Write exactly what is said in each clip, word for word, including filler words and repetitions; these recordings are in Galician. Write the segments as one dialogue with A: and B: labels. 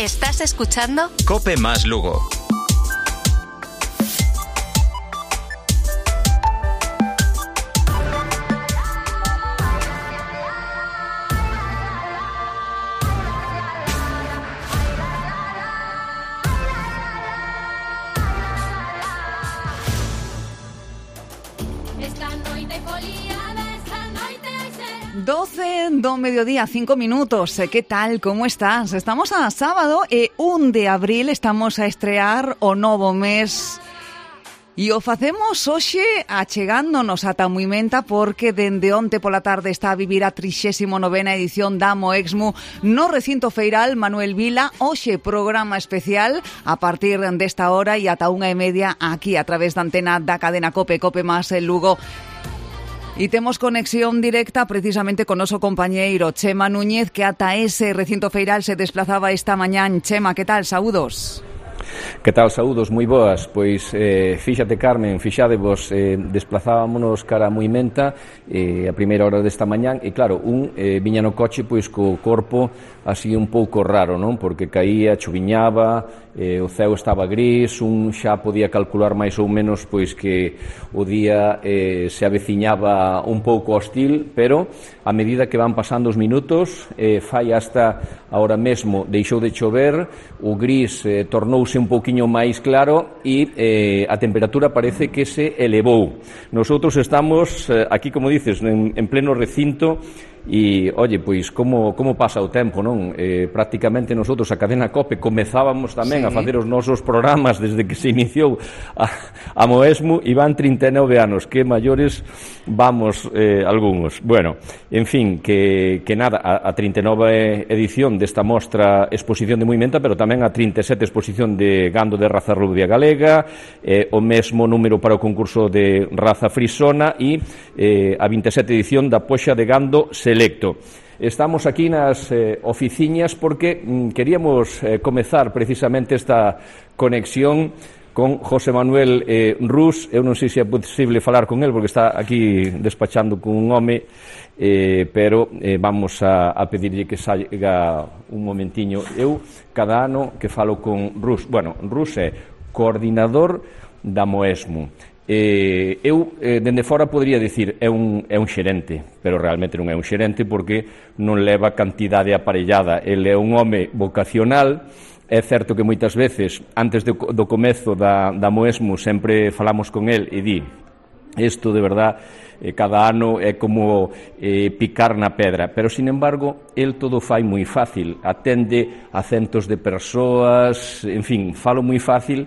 A: Estás escuchando
B: Cope Más Lugo.
C: doce do mediodía, cinco minutos. Que tal? Como estás? Estamos a sábado e un de abril, estamos a estrear o novo mes. E o facemos hoxe achegándonos ata Muimenta porque dende onte pola tarde está a vivir a trixésima novena edición da Moexmu no recinto feiral Manuel Vila. Hoxe programa especial a partir desta hora e ata unha e media aquí a través da antena da cadena Cope, Cope Más en Lugo. E temos conexión directa precisamente con noso compañeiro Chema Núñez, que ata ese recinto feiral se desplazaba esta mañán. Chema, que tal? Saúdos.
D: Que tal, saúdos, moi boas. Pois, eh, fíxate, Carmen, fixadevos, eh, desplazámonos cara a Muimenta eh, a primeira hora desta mañán e, claro, un eh, viña no coche pois co corpo así un pouco raro, non? Porque caía, chuviñaba, eh, o ceo estaba gris, un xa podía calcular máis ou menos pois que o día eh, se aveciñaba un pouco hostil, pero a medida que van pasando os minutos, eh, fai hasta ahora mesmo deixou de chover, o gris eh, tornouse un pouquiño máis claro e eh, a temperatura parece que se elevou. Nosotros estamos eh, aquí, como dices, en, en pleno recinto e, oye, pois, como, como pasa o tempo, non? Eh, prácticamente nosotros, a cadena Cope, comezábamos tamén sí. a facer os nosos programas desde que se iniciou a, a Moexmu e van trinta e nove anos, que maiores vamos eh, algúns. Bueno, en fin, que, que nada, a, a trinta e nove edición desta mostra exposición de Muimenta, pero tamén a trinta e sete exposición de gando de raza rubia galega, eh, o mesmo número para o concurso de raza frisona e eh, a vinte e sete edición da poxa de gando selecto. Estamos aquí nas eh, oficiñas porque mm, queríamos eh, comezar precisamente esta conexión con José Manuel eh, Rus. Eu non sei se é posible falar con el porque está aquí despachando con un home, eh, pero eh, vamos a, a pedirlle que salga un momentiño. Eu cada ano que falo con Rus, bueno, Rus é coordinador da Moexmu. Eh, eu, eh, dende fora, podría dicir é un, é un xerente, pero realmente non é un xerente porque non leva cantidade aparellada. Ele é un home vocacional. É certo que moitas veces, antes de, do comezo da, da Moexmu, sempre falamos con el e di isto de verdad, eh, cada ano é como eh, picar na pedra, pero, sin embargo, el todo fai moi fácil, atende a centos de persoas, en fin, falo moi fácil.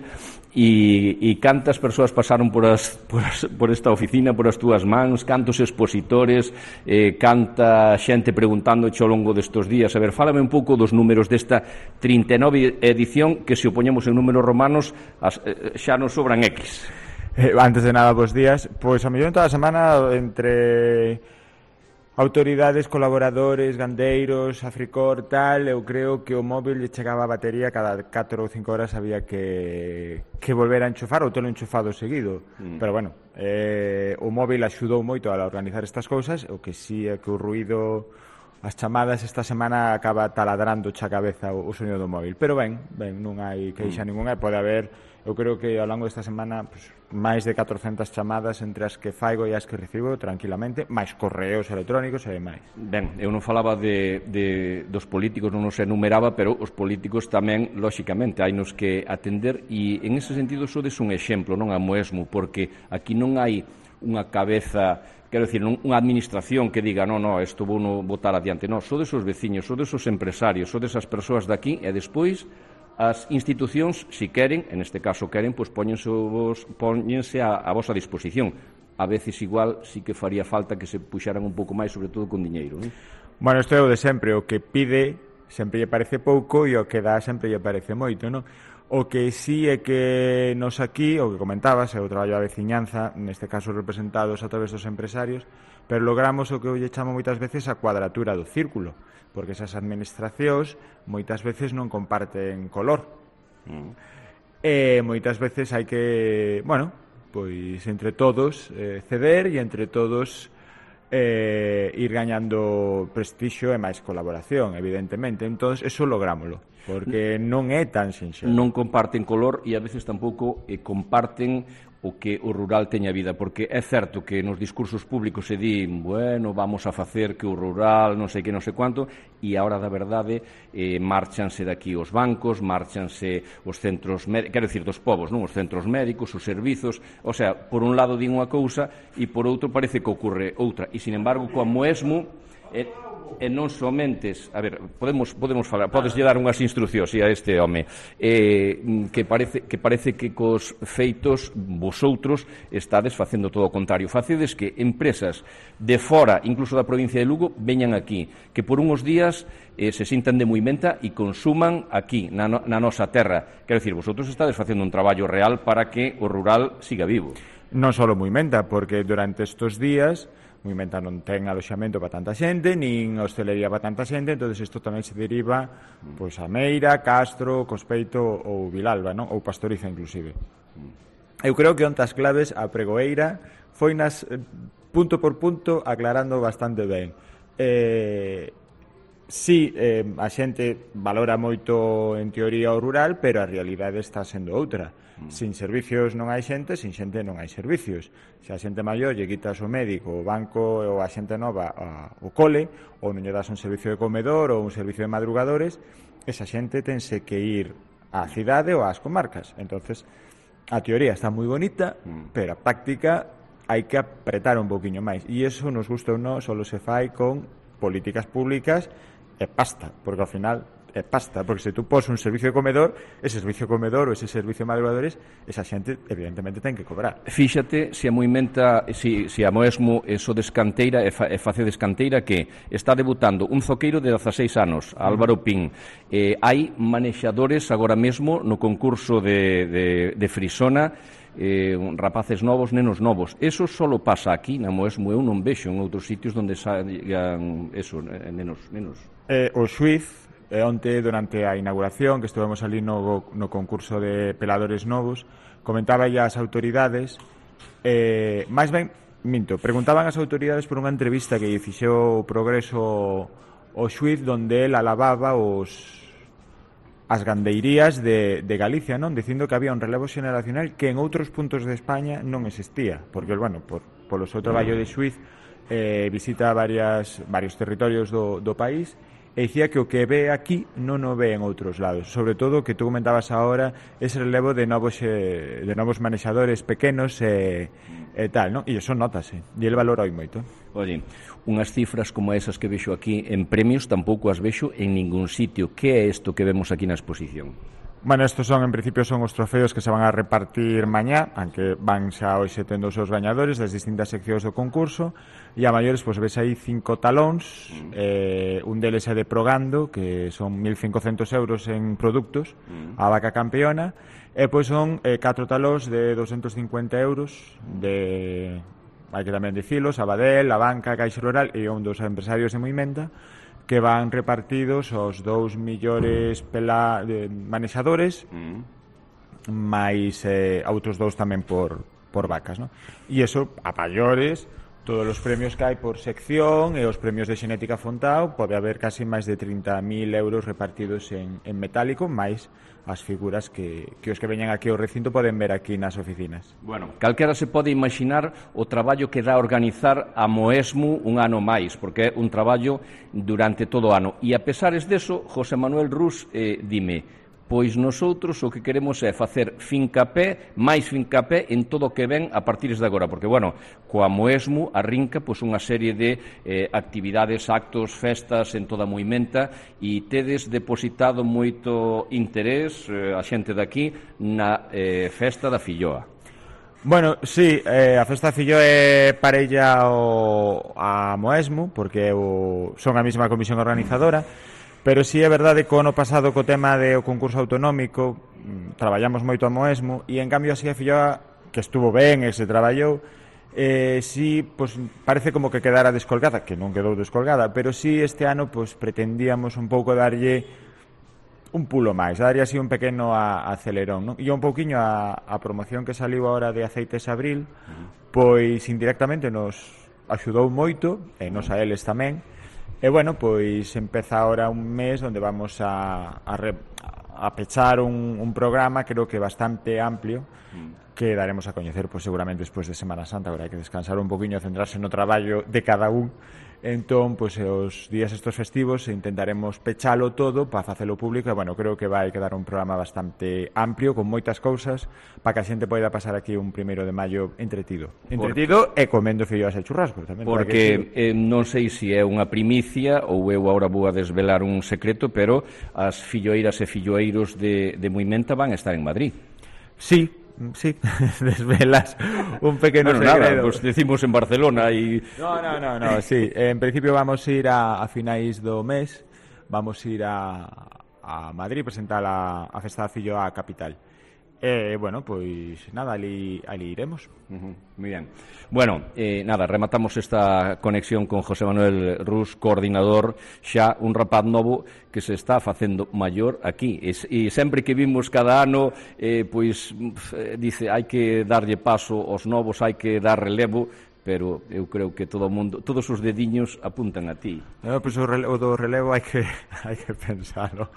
D: E, e cantas persoas pasaron por, as, por, as, por esta oficina, por as túas mans, cantos expositores, eh, canta xente preguntando ao longo destes días. A ver, fálame un pouco dos números desta trinta e nove edición que, se o poñemos en números romanos, as, eh, xa nos sobran X.
E: Eh, antes de nada, bos días. Pois a mellor en toda a semana, entre autoridades, colaboradores, gandeiros, Africor, tal, eu creo que o móvil lle chegaba a batería cada catro ou cinco horas, había que, que volver a enchufar ou telo enchufado seguido. Mm. Pero, bueno, eh, o móvil axudou moito a organizar estas cousas, o que sí é que o ruido, as chamadas esta semana acaba taladrando xa cabeza o, o sonido do móvil. Pero ben, ben, non hai queixa mm. ninguna, pode haber, eu creo que ao longo desta semana, pues, máis de catrocentas chamadas entre as que faigo e as que recibo tranquilamente, máis correos electrónicos e máis.
D: Ben, eu non falaba de, de, dos políticos, non os enumeraba, pero os políticos tamén, lóxicamente, hai nos que atender e, en ese sentido, sodes un exemplo, non a Moexmu, porque aquí non hai unha cabeza, quero dicir, unha administración que diga, non, non, isto vou no botar adiante, non, sodes os veciños, sodes os empresarios, sodes as persoas daqui e despois as institucións, se queren, en este caso queren, pois póñense, vos, póñense a, a vosa disposición. A veces igual sí que faría falta que se puxaran un pouco máis, sobre todo con diñeiro, non?
E: Bueno, isto é o de sempre, o que pide sempre lle parece pouco e o que dá sempre lle parece moito, non? O que sí é que nos aquí, o que comentabas, é o traballo da veciñanza, neste caso representados a través dos empresarios, pero logramos o que eu lle chamo moitas veces a cuadratura do círculo, porque esas administracións moitas veces non comparten color. Mm. E moitas veces hai que, bueno, pois entre todos eh, ceder e entre todos eh, ir gañando prestixio e máis colaboración, evidentemente. Entón, eso lográmoslo, porque non é tan sinxelo.
D: Non comparten color e a veces tampouco eh, comparten o que o rural teña vida, porque é certo que nos discursos públicos se di, bueno, vamos a facer que o rural non sei que non sei quanto, e a hora da verdade eh, marchanse daqui os bancos, marchanse os centros médicos, quero dicir, dos povos, non? Os centros médicos, os servizos, o sea, por un lado din unha cousa e por outro parece que ocorre outra, e sin embargo, como mesmo eh, e non somentes, a ver, podemos podemos falar, podes lle dar unhas instruccións a este home, eh, que parece que parece que cos feitos vosotros estades facendo todo o contrario. Facedes que empresas de fora, incluso da provincia de Lugo, veñan aquí, que por unhos días eh, se sintan de Muimenta e consuman aquí, na, no, na nosa terra. Quero dicir, vosotros estades facendo un traballo real para que o rural siga vivo.
E: Non só Muimenta, porque durante estes días Muimenta non ten aloxamento para tanta xente, nin hostelería para tanta xente, entón isto tamén se deriva pois, a Meira, Castro, Cospeito ou Vilalba, non? Ou Pastoriza, inclusive. Eu creo que ontas claves a pregoeira foi nas punto por punto aclarando bastante ben. Eh, sí, eh, a xente valora moito en teoría o rural, pero a realidade está sendo outra. Sin servicios non hai xente, sin xente non hai servicios. Se a xente maior lle quitas o médico, o banco ou a xente nova a, o cole, ou non lle das un servicio de comedor ou un servicio de madrugadores, esa xente tense que ir á cidade ou ás comarcas. Entonces, a teoría está moi bonita, pero a práctica hai que apretar un poquinho máis. E iso, nos gusta ou non, só se fai con políticas públicas e pasta, porque ao final é pasta, porque se tú pos un servicio de comedor, ese servicio de comedor ou ese servicio de madrugadores, esa xente evidentemente ten que cobrar.
D: Fíxate se a Muimenta, se, se a Moesmo eso de escanteira e, fa, e face de escanteira que está debutando un zoqueiro de dezaseis anos, Álvaro Pín. Eh, hai manexadores agora mesmo no concurso de, de, de Frisona, eh, rapaces novos, nenos novos. Eso solo pasa aquí na Moesmo, eu non vexo en outros sitios onde sagan eso, nenos, nenos.
E: Eh, o xuiz E onte, durante a inauguración, que estivemos ali no, no concurso de peladores novos, comentaba ya as autoridades, eh, máis ben, minto, preguntaban as autoridades por unha entrevista que lle fixou o Progreso o xuiz, donde el alababa os as gandeirías de, de Galicia, non? Dicindo que había un relevo xeneracional que en outros puntos de España non existía, porque, bueno, por, polo seu traballo de xuiz eh, visita varias, varios territorios do, do país, e dicía que o que ve aquí non o ve en outros lados, sobre todo que tú comentabas agora ese relevo de novos eh, de novos manexadores pequenos e, e tal, non? E iso notase, e el valora oi moito.
D: Oye, unhas cifras como esas que vexo aquí en premios tampouco as vexo en ningún sitio. Que é isto que vemos aquí na exposición?
E: Bueno, estos son, en principio, son os trofeos que se van a repartir mañá, aunque van xa hoxe tendo os seus gañadores das distintas seccións do concurso, e a maiores, pois, ves aí cinco talóns, eh, un deles é de Progando, que son mil cincocentos euros en produtos, a vaca campeona, e, pois, son eh, catro talóns de doscientos cincuenta euros, de, hai que tamén dicilos, Abadel, a Banca, a Caixa Rural, e un dos empresarios de Muimenta, que van repartidos aos dous millores pela, de, manexadores, mm. máis eh, outros dous tamén por, por vacas, non? E iso, a maiores, todos os premios que hai por sección e os premios de xenética Fontao, pode haber casi máis de trinta mil euros repartidos en, en metálico, máis as figuras que, que os que veñan aquí ao recinto poden ver aquí nas oficinas.
D: Bueno, calquera se pode imaginar o traballo que dá organizar a Moesmo un ano máis, porque é un traballo durante todo o ano. E a pesares deso, José Manuel Rus, eh, dime, pois nosotros o que queremos é facer fincapé, máis fincapé en todo o que ven a partir de agora, porque, bueno, coa Moesmo arrinca pois, unha serie de eh, actividades, actos, festas en toda a Muimenta, e tedes depositado moito interés, eh, a xente daqui, na eh, festa da Filloa.
E: Bueno, sí, eh, a festa da Filloa é parella o, a Moesmo, porque o, son a mesma comisión organizadora. Pero si sí é verdade que o ano pasado co tema do concurso autonómico traballamos moito a Moesmo e en cambio así a Filloa, que estuvo ben e se traballou, eh, si pues, parece como que quedara descolgada, que non quedou descolgada, pero si sí, este ano pues, pretendíamos un pouco darlle un pulo máis, darlle así un pequeno a, a acelerón, non? E un pouquiño a, a promoción que saliu agora de Aceites Abril, pois indirectamente nos axudou moito, e nos a eles tamén. E bueno, pois empeza ahora un mes onde vamos a, a, re, a pechar un, un programa creo que bastante amplio que daremos a coñecer pois, seguramente despois de Semana Santa. Agora hai que descansar un poquinho, centrarse no traballo de cada un. Entón, pois, os días estos festivos intentaremos pechalo todo para facelo público e, bueno, creo que vai quedar un programa bastante amplio, con moitas cousas, para que a xente poida pasar aquí un primeiro de maio entretido. Entretido e comendo filloas e churrascos tamén.
D: Porque eh, non sei se é unha primicia ou eu agora vou a desvelar un secreto, pero as filloeiras e filloeiros de, de Muimenta van a estar en Madrid.
E: Sí, sí, desvelas un pequeno
D: bueno,
E: segredo.
D: Nada, pues decimos en Barcelona e...
E: No, no, no, no, sí. En principio vamos a ir a, a finais do mes, vamos a ir a, a Madrid presentar a, a Festa da Filloa a capital. E, bueno, pois nada, ali, ali iremos.
D: Uh-huh, muy bien. Bueno, eh, nada, rematamos esta conexión con José Manuel Rus, coordinador, xa un rapaz novo que se está facendo maior aquí. E, e sempre que vimos cada ano, eh, pois, eh, dice, hai que darlle paso aos novos, hai que dar relevo, pero eu creo que todo o mundo, todos os dediños apuntan a ti.
E: No, pois o, relevo, o do relevo hai que, hai que pensarlo.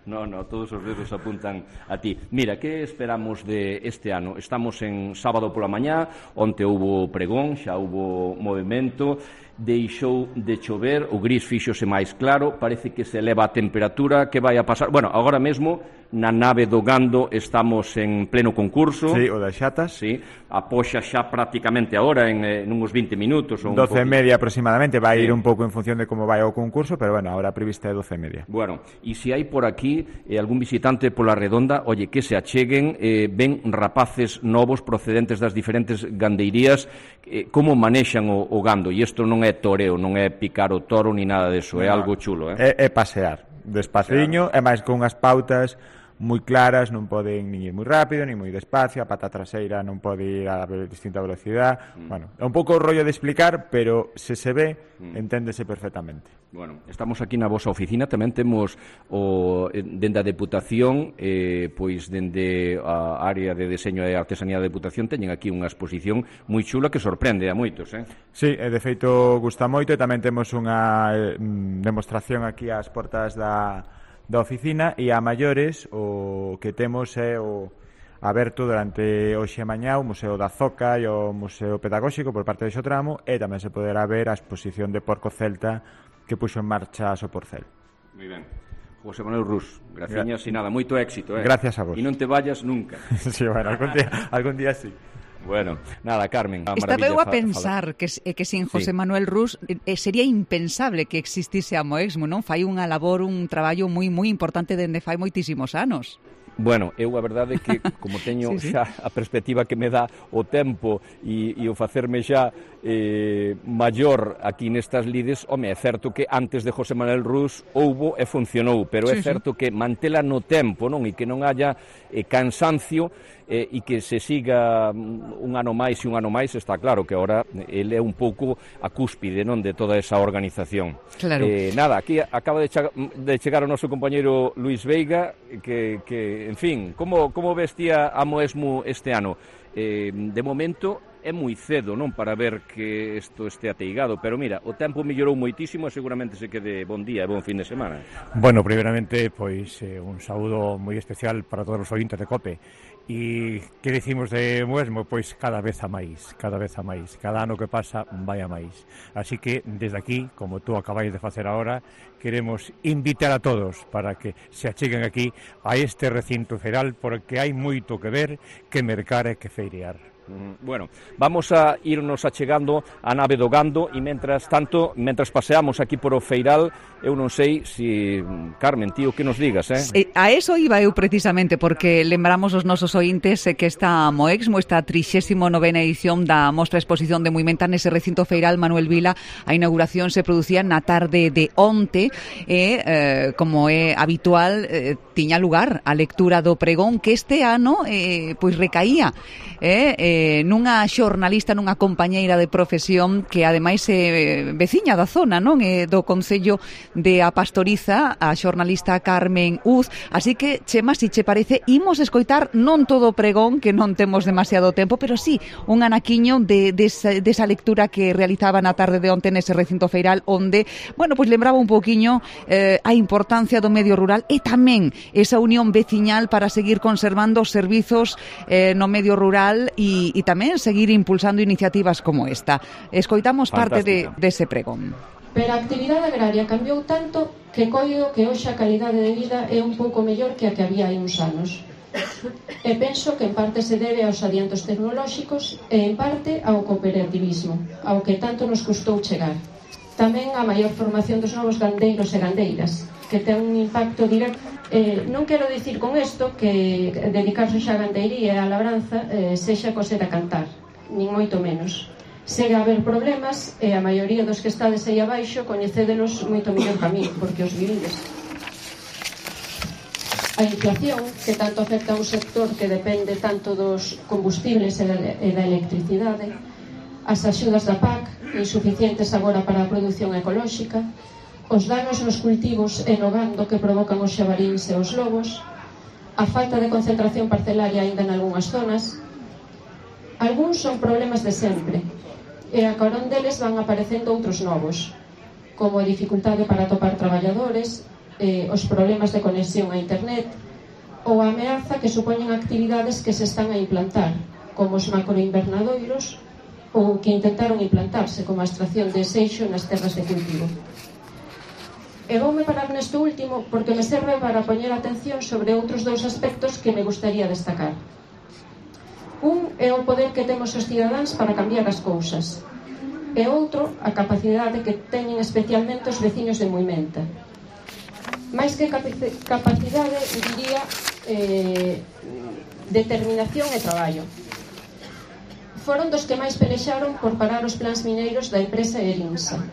D: No, no, todos os dedos apuntan a ti. Mira, que esperamos de este ano? Estamos en sábado pola mañá, onte houbo pregón, xa houbo movimento, deixou de chover, o gris fíxose máis claro, parece que se eleva a temperatura, que vai a pasar? Bueno, agora mesmo na nave do Gando estamos en pleno concurso.
E: Sí, o das xatas.
D: Sí, a poxa xa prácticamente agora en, en uns vinte minutos. Ou
E: doce e
D: un
E: media aproximadamente, vai
D: sí.
E: ir un pouco en función de como vai o concurso, pero bueno, ahora prevista é doce e media.
D: Bueno, e se hai por aquí eh, algún visitante pola redonda, oye, que se acheguen, eh, ven rapaces novos procedentes das diferentes gandeirías, eh, como manexan o, o gando, e isto non é toreo, non é picar o toro ni nada deso, no, é algo chulo, eh?
E: É, é pasear, despaciño, claro. E máis con unhas pautas moi claras, non poden ni ir moi rápido, ni moi despacio, a pata traseira non pode ir a distinta velocidade. Mm. Bueno, é un pouco o rollo de explicar, pero se se ve, mm. enténdese perfectamente.
D: Bueno, estamos aquí na vosa oficina, tamén temos o, dende a Deputación, eh, pois dende a área de deseño e artesanía da Deputación, teñen aquí unha exposición moi chula que sorprende a moitos, eh?
E: Sí, de feito gusta moito, e tamén temos unha eh, demostración aquí ás portas da da oficina, e a maiores o que temos é o aberto durante hoxe e mañá o Museo da Zoca e o Museo Pedagóxico por parte de Xotramo, e tamén se poderá ver a exposición de porco celta que puxo en marcha Soporcel.
D: Moi ben. José Manuel Rus, graciñas e nada, moito éxito, eh?
E: Gracias a vos.
D: E non te vayas nunca.
E: Sí, bueno, algún día, algún día sí.
D: Bueno, nada, Carmen.
C: Estaba eu a pensar que, que sin José sí. Manuel Rus eh, sería impensable que existise a Moexmo, non? Fai unha labor, un traballo moi moi importante dende fai moitísimos anos.
D: Bueno, eu a verdade é que como teño sí, sí. xa a perspectiva que me dá o tempo e, e o facerme xa eh, maior aquí nestas lides, home, é certo que antes de José Manuel Rus houbo e funcionou, pero é sí, certo sí. que mantela no tempo, non? E que non haya eh, cansancio eh, e que se siga un ano máis e un ano máis, está claro que agora ele é un pouco a cúspide, non, de toda esa organización.
C: Claro.
D: Eh, nada, aquí acaba de, chega, de chegar o noso compañeiro Luís Veiga, que, que en fin, como, como vestía a Moexmo este ano? Eh, de momento é moi cedo, non, para ver que isto este ateigado, pero mira, o tempo mellorou moitísimo e seguramente se quede bon día e bon fin de semana.
A: Bueno, primeiramente, pois, eh, un saúdo moi especial para todos os ointes de COPE. E que dicimos de Moexmo? Pois cada vez a máis, cada vez a máis. Cada ano que pasa vai a máis. Así que, desde aquí, como tú acabáis de facer agora, queremos invitar a todos para que se acheguen aquí a este recinto feiral, porque hai moito que ver, que mercar e que feirear.
D: Bueno, vamos a irnos achegando a nave do Gando e mentras tanto, mentras paseamos aquí por o feiral, eu non sei se, Carmen, tío, que nos digas, eh?
C: eh a eso iba eu precisamente, porque lembramos os nosos ointes que esta Moexmo, esta trixésima novena edición da Mostra Exposición de Muimenta nese recinto feiral Manuel Vila, a inauguración se producía na tarde de onte e, eh, como é habitual, eh, tiña lugar a lectura do pregón que este ano eh, pois recaía eh, eh, eh, nunha xornalista, nunha compañeira de profesión que ademais é veciña da zona, non? É do Concello de A Pastoriza, a xornalista Carmen Uz. Así que, Chema, si che parece, imos escoitar non todo o pregón, que non temos demasiado tempo, pero sí un anaquiño de, de, esa, de esa lectura que realizaba na tarde de onte nese recinto feiral, onde, bueno, pois lembraba un poquinho eh, a importancia do medio rural e tamén esa unión veciñal para seguir conservando os servizos eh, no medio rural e, e tamén seguir impulsando iniciativas como esta. Escoitamos parte de, de ese pregón.
B: Pero a actividade agraria cambiou tanto que coido que hoxe a calidade de vida é un pouco mellor que a que había hai uns anos. E penso que en parte se debe aos adiantos tecnolóxicos e en parte ao cooperativismo, ao que tanto nos custou chegar. Tamén a maior formación dos novos gandeiros e gandeiras, que ten un impacto directo. Eh, non quero dicir con isto que dedicarse xa a gandeiría e a labranza eh, sexa coser a cantar, nin moito menos. Segue a haber problemas e a maioría dos que estades aí abaixo coñecédenos moito mellor que a mí, porque os vivides. A inflación, que tanto afecta a un sector que depende tanto dos combustibles e da electricidade, as axudas da P A C, insuficientes agora para a produción ecolóxica, os danos nos cultivos e no gando que provocan os xabaríns e os lobos, a falta de concentración parcelaria aínda en algunhas zonas. Algúns son problemas de sempre, e a carón deles van aparecendo outros novos, como a dificultade para atopar traballadores, eh, os problemas de conexión a internet, ou a ameaza que supoñen actividades que se están a implantar, como os macroinvernadoiros, ou que intentaron implantarse, como a extracción de seixo nas terras de cultivo. E voume parar nesto último porque me serve para poñer atención sobre outros dous aspectos que me gustaría destacar. Un é o poder que temos os cidadáns para cambiar as cousas, e outro, a capacidade que teñen especialmente os veciños de Moimenta. Mais que capacidade, diría, eh, determinación e traballo. Foron dos que máis pelexaron por parar os plans mineiros da empresa Erinsa.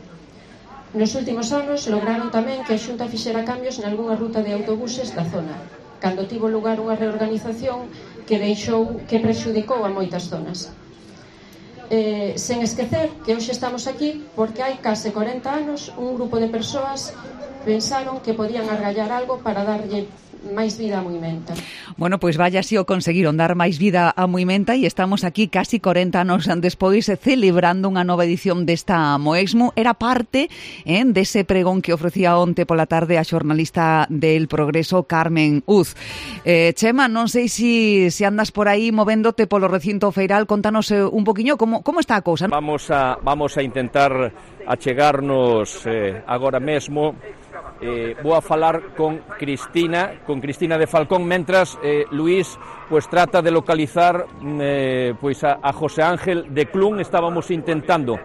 B: Nos últimos anos lograron tamén que a Xunta fixera cambios nalgunha ruta de autobuses da zona, cando tivo lugar unha reorganización que deixou, que prexudicou a moitas zonas. Eh, sen esquecer que hoxe estamos aquí porque hai case corenta anos un grupo de persoas pensaron que podían argallar algo para darlle máis vida a Moimenta.
C: Bueno, pois vaya si o conseguiron dar máis vida a Moimenta e estamos aquí casi corenta anos despois celebrando unha nova edición desta Moexmo. Era parte eh, dese pregón que ofrecía onte pola tarde a xornalista del Progreso Carmen Uz. Eh, Chema, non sei se si, si andas por aí movéndote polo recinto feiral, contanos eh, un poquinho como, como está a cousa.
D: Vamos a, vamos a intentar achegarnos eh, agora mesmo. Eh, vou a falar con Cristina, con Cristina de Falcón, mentras eh, Luís pues trata de localizar eh, pues a, a José Ángel de Clun. Estábamos intentando,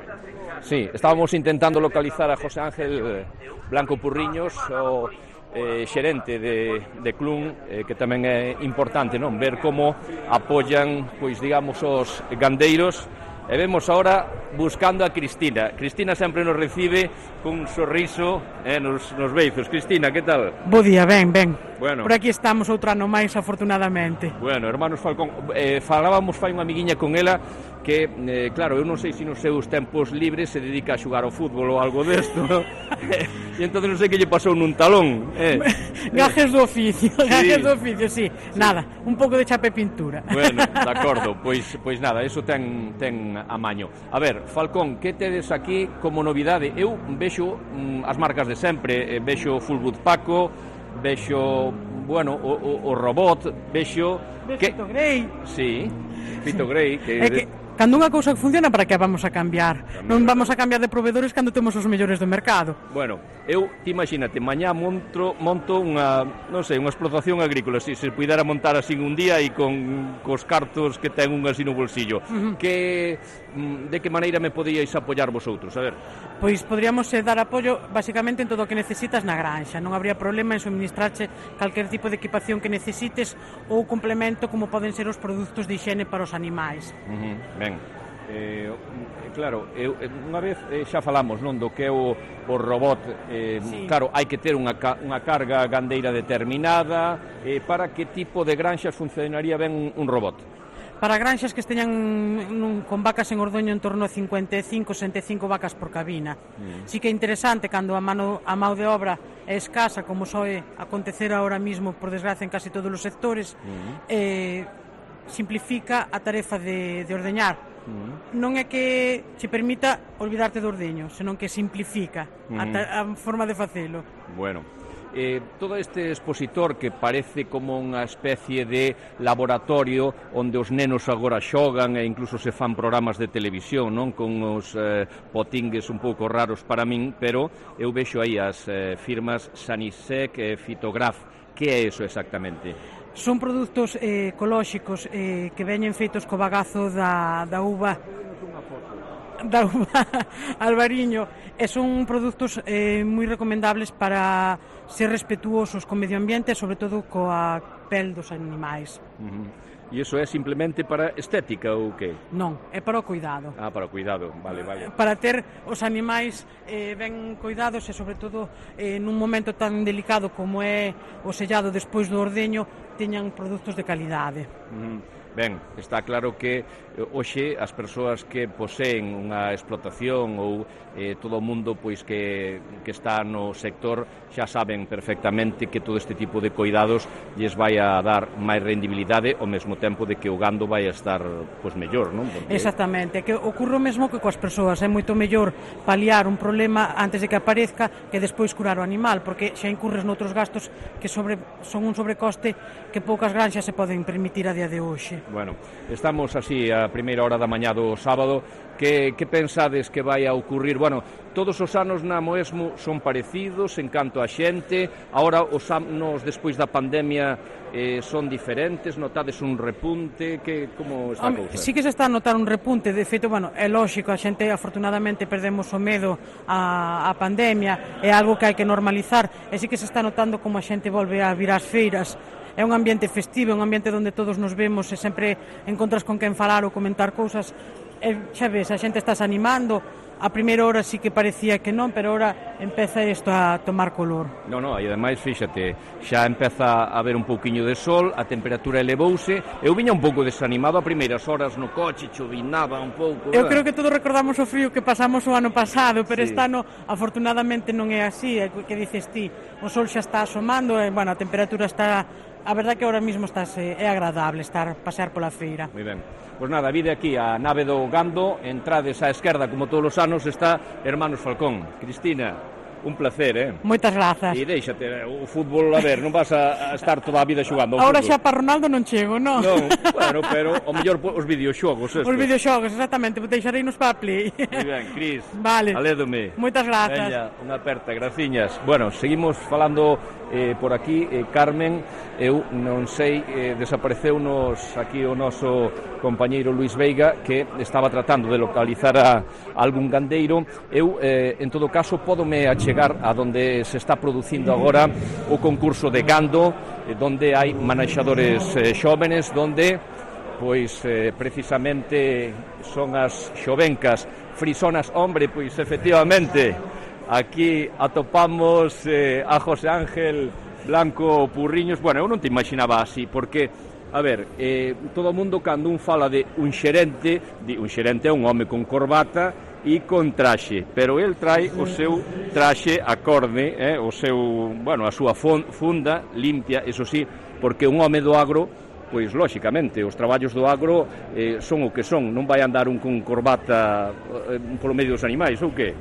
D: sí, estábamos intentando localizar a José Ángel eh, Blanco Purriños, o eh, xerente de, de Clun, eh, que tamén é importante, non? Ver como apoian, pois digamos, os gandeiros. E vemos ahora buscando a Cristina. Cristina sempre nos recibe cun sorriso eh, nos, nos beizos. Cristina, que tal?
F: Bo día, ben, ben.
D: Bueno.
F: Por aquí estamos outro ano máis, afortunadamente.
D: Bueno, hermanos Falcón, eh, falábamos fai unha amiguiña con ela que, eh, claro, eu non sei se nos seus tempos libres se dedica a xogar ao fútbol ou algo desto, ¿no? E entón non sei que lle pasou nun talón. Eh.
F: Gajes do oficio, sí. Gajes do oficio, sí. sí. Nada, un pouco de chape pintura.
D: Bueno, de acordo, pois, pois nada, eso ten, ten amaño. A ver, Falcón, que tedes aquí como novidade? Eu vexo mm, as marcas de sempre, eh, vexo Fullwood Paco, vexo, bueno, o, o, o robot, vexo...
F: Vexo
D: que...
F: Fito Grey.
D: Sí, Fito Grey, que...
F: É que cando unha cousa funciona, para que a vamos a cambiar? Non vamos a cambiar de proveedores cando temos os mellores do mercado.
D: Bueno, eu, ti imagínate, mañá monto, monto unha, non sei, unha explotación agrícola, se se puidera montar así un día e con cos cartos que ten un así no bolsillo. Uh-huh. Que, de que maneira me podíais apoiar vosotros? A ver.
F: Pois podríamos eh, dar apoio basicamente en todo o que necesitas na granxa. Non habría problema en suministrarche calquer tipo de equipación que necesites ou complemento como poden ser os produtos de higiene para os animais.
D: Uh-huh. Ben. Eh, claro, eu, unha vez eh, xa falamos, non, do que é o, o robot, eh, sí. Claro, hai que ter unha, unha carga gandeira determinada, eh, para que tipo de granxas funcionaría ben un, un robot?
F: Para granxas que esteñan nun, con vacas en ordoño en torno a cincuenta e cinco, sesenta e cinco vacas por cabina. Mm. Sí que é interesante cando a mano a mão de obra é escasa, como soe acontecer ahora mismo, por desgracia, en casi todos os sectores, mm. eh, simplifica a tarefa de, de ordeñar. Mm. Non é que che permita olvidarte do ordeño, senón que simplifica mm. a, ta, a forma de facelo.
D: Bueno. Eh, todo este expositor que parece como unha especie de laboratorio onde os nenos agora xogan e incluso se fan programas de televisión, non, con os eh, potingues un pouco raros para min, pero eu vexo aí as eh, firmas Sanisec e Fitograf. Que é eso exactamente?
F: Son produtos eh, ecolóxicos eh, que veñen feitos co bagazo da, da uva da uva albariño, e son produtos eh, moi recomendables para ser respetuosos co medio ambiente e sobre todo coa pel dos animais.
D: Uh-huh. E iso é simplemente para estética ou que?
F: Non, é para o cuidado.
D: Ah, para o cuidado, vale, vale.
F: Para ter os animais eh, ben cuidados e sobre todo eh, nun momento tan delicado como é o sellado despois do ordeño, teñan produtos de calidade.
D: Uh-huh. Ben, está claro que hoxe as persoas que poseen unha explotación ou eh, todo o mundo pois que, que está no sector xa saben perfectamente que todo este tipo de cuidados lles vai a dar máis rendibilidade ao mesmo tempo de que o gando vai a estar pois mellor, non?
F: Porque... Exactamente, que ocorre o mesmo que coas persoas, é moito mellor paliar un problema antes de que aparezca que despois curar o animal, porque xa incurres noutros gastos que sobre, son un sobrecoste que poucas granxas se poden permitir a día de hoxe.
D: Bueno, estamos así a primeira hora da mañá do sábado. Que, que pensades que vai a ocurrir? Bueno, todos os anos na Moesmo son parecidos en canto a xente. Agora os anos despois da pandemia eh, son diferentes, notades un repunte, que como está a cousa?
F: Sí que se está a notar un repunte, de feito, bueno, é lógico, a xente afortunadamente perdemos o medo á, a pandemia, é algo que hai que normalizar, e sí que se está notando como a xente volve a vir ás feiras. É un ambiente festivo, é un ambiente onde todos nos vemos e sempre encontras con quen falar ou comentar cousas. E xa ves, a xente estás animando. A primeira hora sí que parecía que non, pero ahora empeza isto a tomar color.
D: Non, non, e ademais, fíxate, xa empeza a haber un pouquiño de sol, a temperatura elevouse. Eu viña un pouco desanimado a primeiras horas no coche, chovinaba un pouco.
F: Eu creo que todos recordamos o frío que pasamos o ano pasado, pero
D: sí.
F: Este ano afortunadamente non é así, é que dices ti, o sol xa está asomando e, bueno, a temperatura está... A verdade que ahora mismo estás, é agradable estar pasear pola feira.
D: Moi ben. Pois nada, vide aquí a nave do Gando, entrades á esquerda como todos os anos está Hermanos Falcón. Cristina, un placer, eh?
F: Moitas grazas.
D: E déixate, o fútbol, a ver, non vas a estar toda a vida xogando ao
F: Ahora
D: fútbol.
F: xa para Ronaldo non chego, non?
D: Non, bueno, pero o mellor os videoxogos estos.
F: Os videoxogos, exactamente, deixareinos para a Play.
D: Moi ben, Cris,
F: vale.
D: alédome.
F: Moitas grazas.
D: Veña, unha aperta, graciñas. Bueno, seguimos falando eh, por aquí, eh, Carmen, eu non sei, eh, desapareceunos aquí o noso compañeiro Luís Veiga, que estaba tratando de localizar a, a algún gandeiro. Eu, eh, en todo caso, pódome achegar a donde se está producindo agora o concurso de gando, eh, donde hai manexadores eh, xóvenes, donde, pois, eh, precisamente son as xovencas frisonas. Hombre, pois, efectivamente, aquí atopamos eh, a José Ángel Blanco Purriños. Bueno, eu non te imaginaba así, porque, a ver, eh, todo o mundo cando un fala de un xerente, di, un xerente é un home con corbata e con traxe, pero el trae o seu traxe acorde, eh, o seu, bueno, a súa funda limpia, eso sí, porque un home do agro, pois, lóxicamente, os traballos do agro eh, son o que son, non vai andar un con corbata eh, polo medio dos animais, ou que?